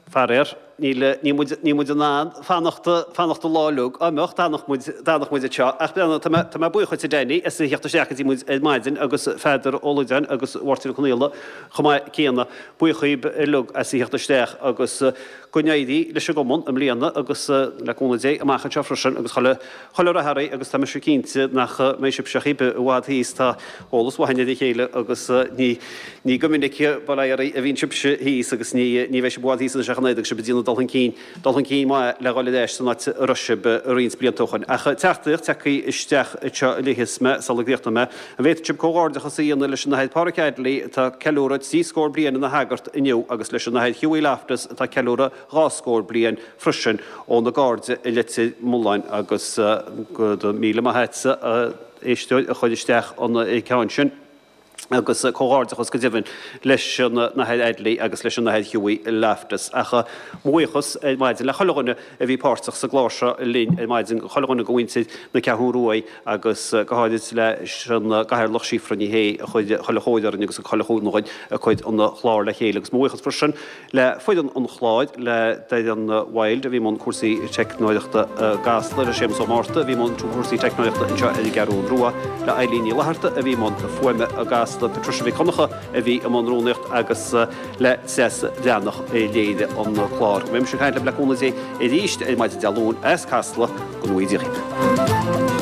faraor, níl, níl muid, níl muid in ann fanacht, fanacht an lá uilig, dá mbeadh, d'fhanfadh muid, d'fhanfadh muid anseo. Ach breathnaigh, tá mé, tá mé buíoch dhuit a Danny as a theacht isteach go dtí muid ar maidin agus Pheadar Ó Loideáin agus Mháirtín Ó Conaola chomh maith céanna. Buíoch dhaoib uilig as a theacht isteach agus go n-éirí leis an gcumann i mbliana agus le cúnamh Dé amach anseo freisin agus chuile, chuile rath oraibh agus tá mise cinnte nach mbeidh sibhse chor ar bith i bhfad thíos, tá eolas mhaith againn ar a chéile agus ní, ní go minic, bail ó Dhia oraibh, a bhíonn sibhse thíos agus ní, ní bheidh sibh i bhfad thíos anois ach an oiread agus sibh ag déanamh dul chun cinn, dul chun cinn maith le dhul ar ais san áit a raibh sibh roinnt blianta ó shoin. Ach teachtaireacht tagtha isteach anseo a léifeas mé sula gcríochnóidh mé. An bhféadfadh sibh comhghairdeachas a dhéanamh leis an Athair Pádraig Adley atá ag ceiliúradh trí scór bliain ina shagart inniu agus leis an Athair Hughie Loftus atá ag ceiliúradh dhá scór bliain freisin óna gcairde i Leitir Mealláin agus go raibh míle maith agatsa a éisteoir a chuir isteach an ceann sin. Agus comhghairdeachas go deimhin leis an Athair Adley agus leis an Athair Hughie Loftus. Ach mo bhuíochas ar maidin le chuile dhuine a bhí páirteach sa gclár seo linn ar maidin, chuile dhuine de mhuintir na Ceathrún Ruaidh agus go háirid leis an gCathaoirleach Síofra Ní Shé a chuir chuile chóir orainn agus chuile chúnamh dhuinn ag cur an chláir le chéile. Agus mo bhuíochas freisin le foireann an chláir, le Darren Wilde a bhí i mbun cúrsaí teicneoireachta i gCasla, le Séamus Ó Márta a bhí i mbun cúrsaí teicneoireachta anseo ar an gCeathrún Rua, le Eileen Ní Fhlatharta a bhí i mbun fuaime i gCasla, Patricia Mhic Dhonncha a bhí i mbun rúnaíocht agus le Treasa Bhreathnach a léirigh an clár. Go mbeidh mise ag caint libh le cúnamh Dé arís ar maidin Dé Luain as Casla, go ngnóthaí Dia dhaoibh.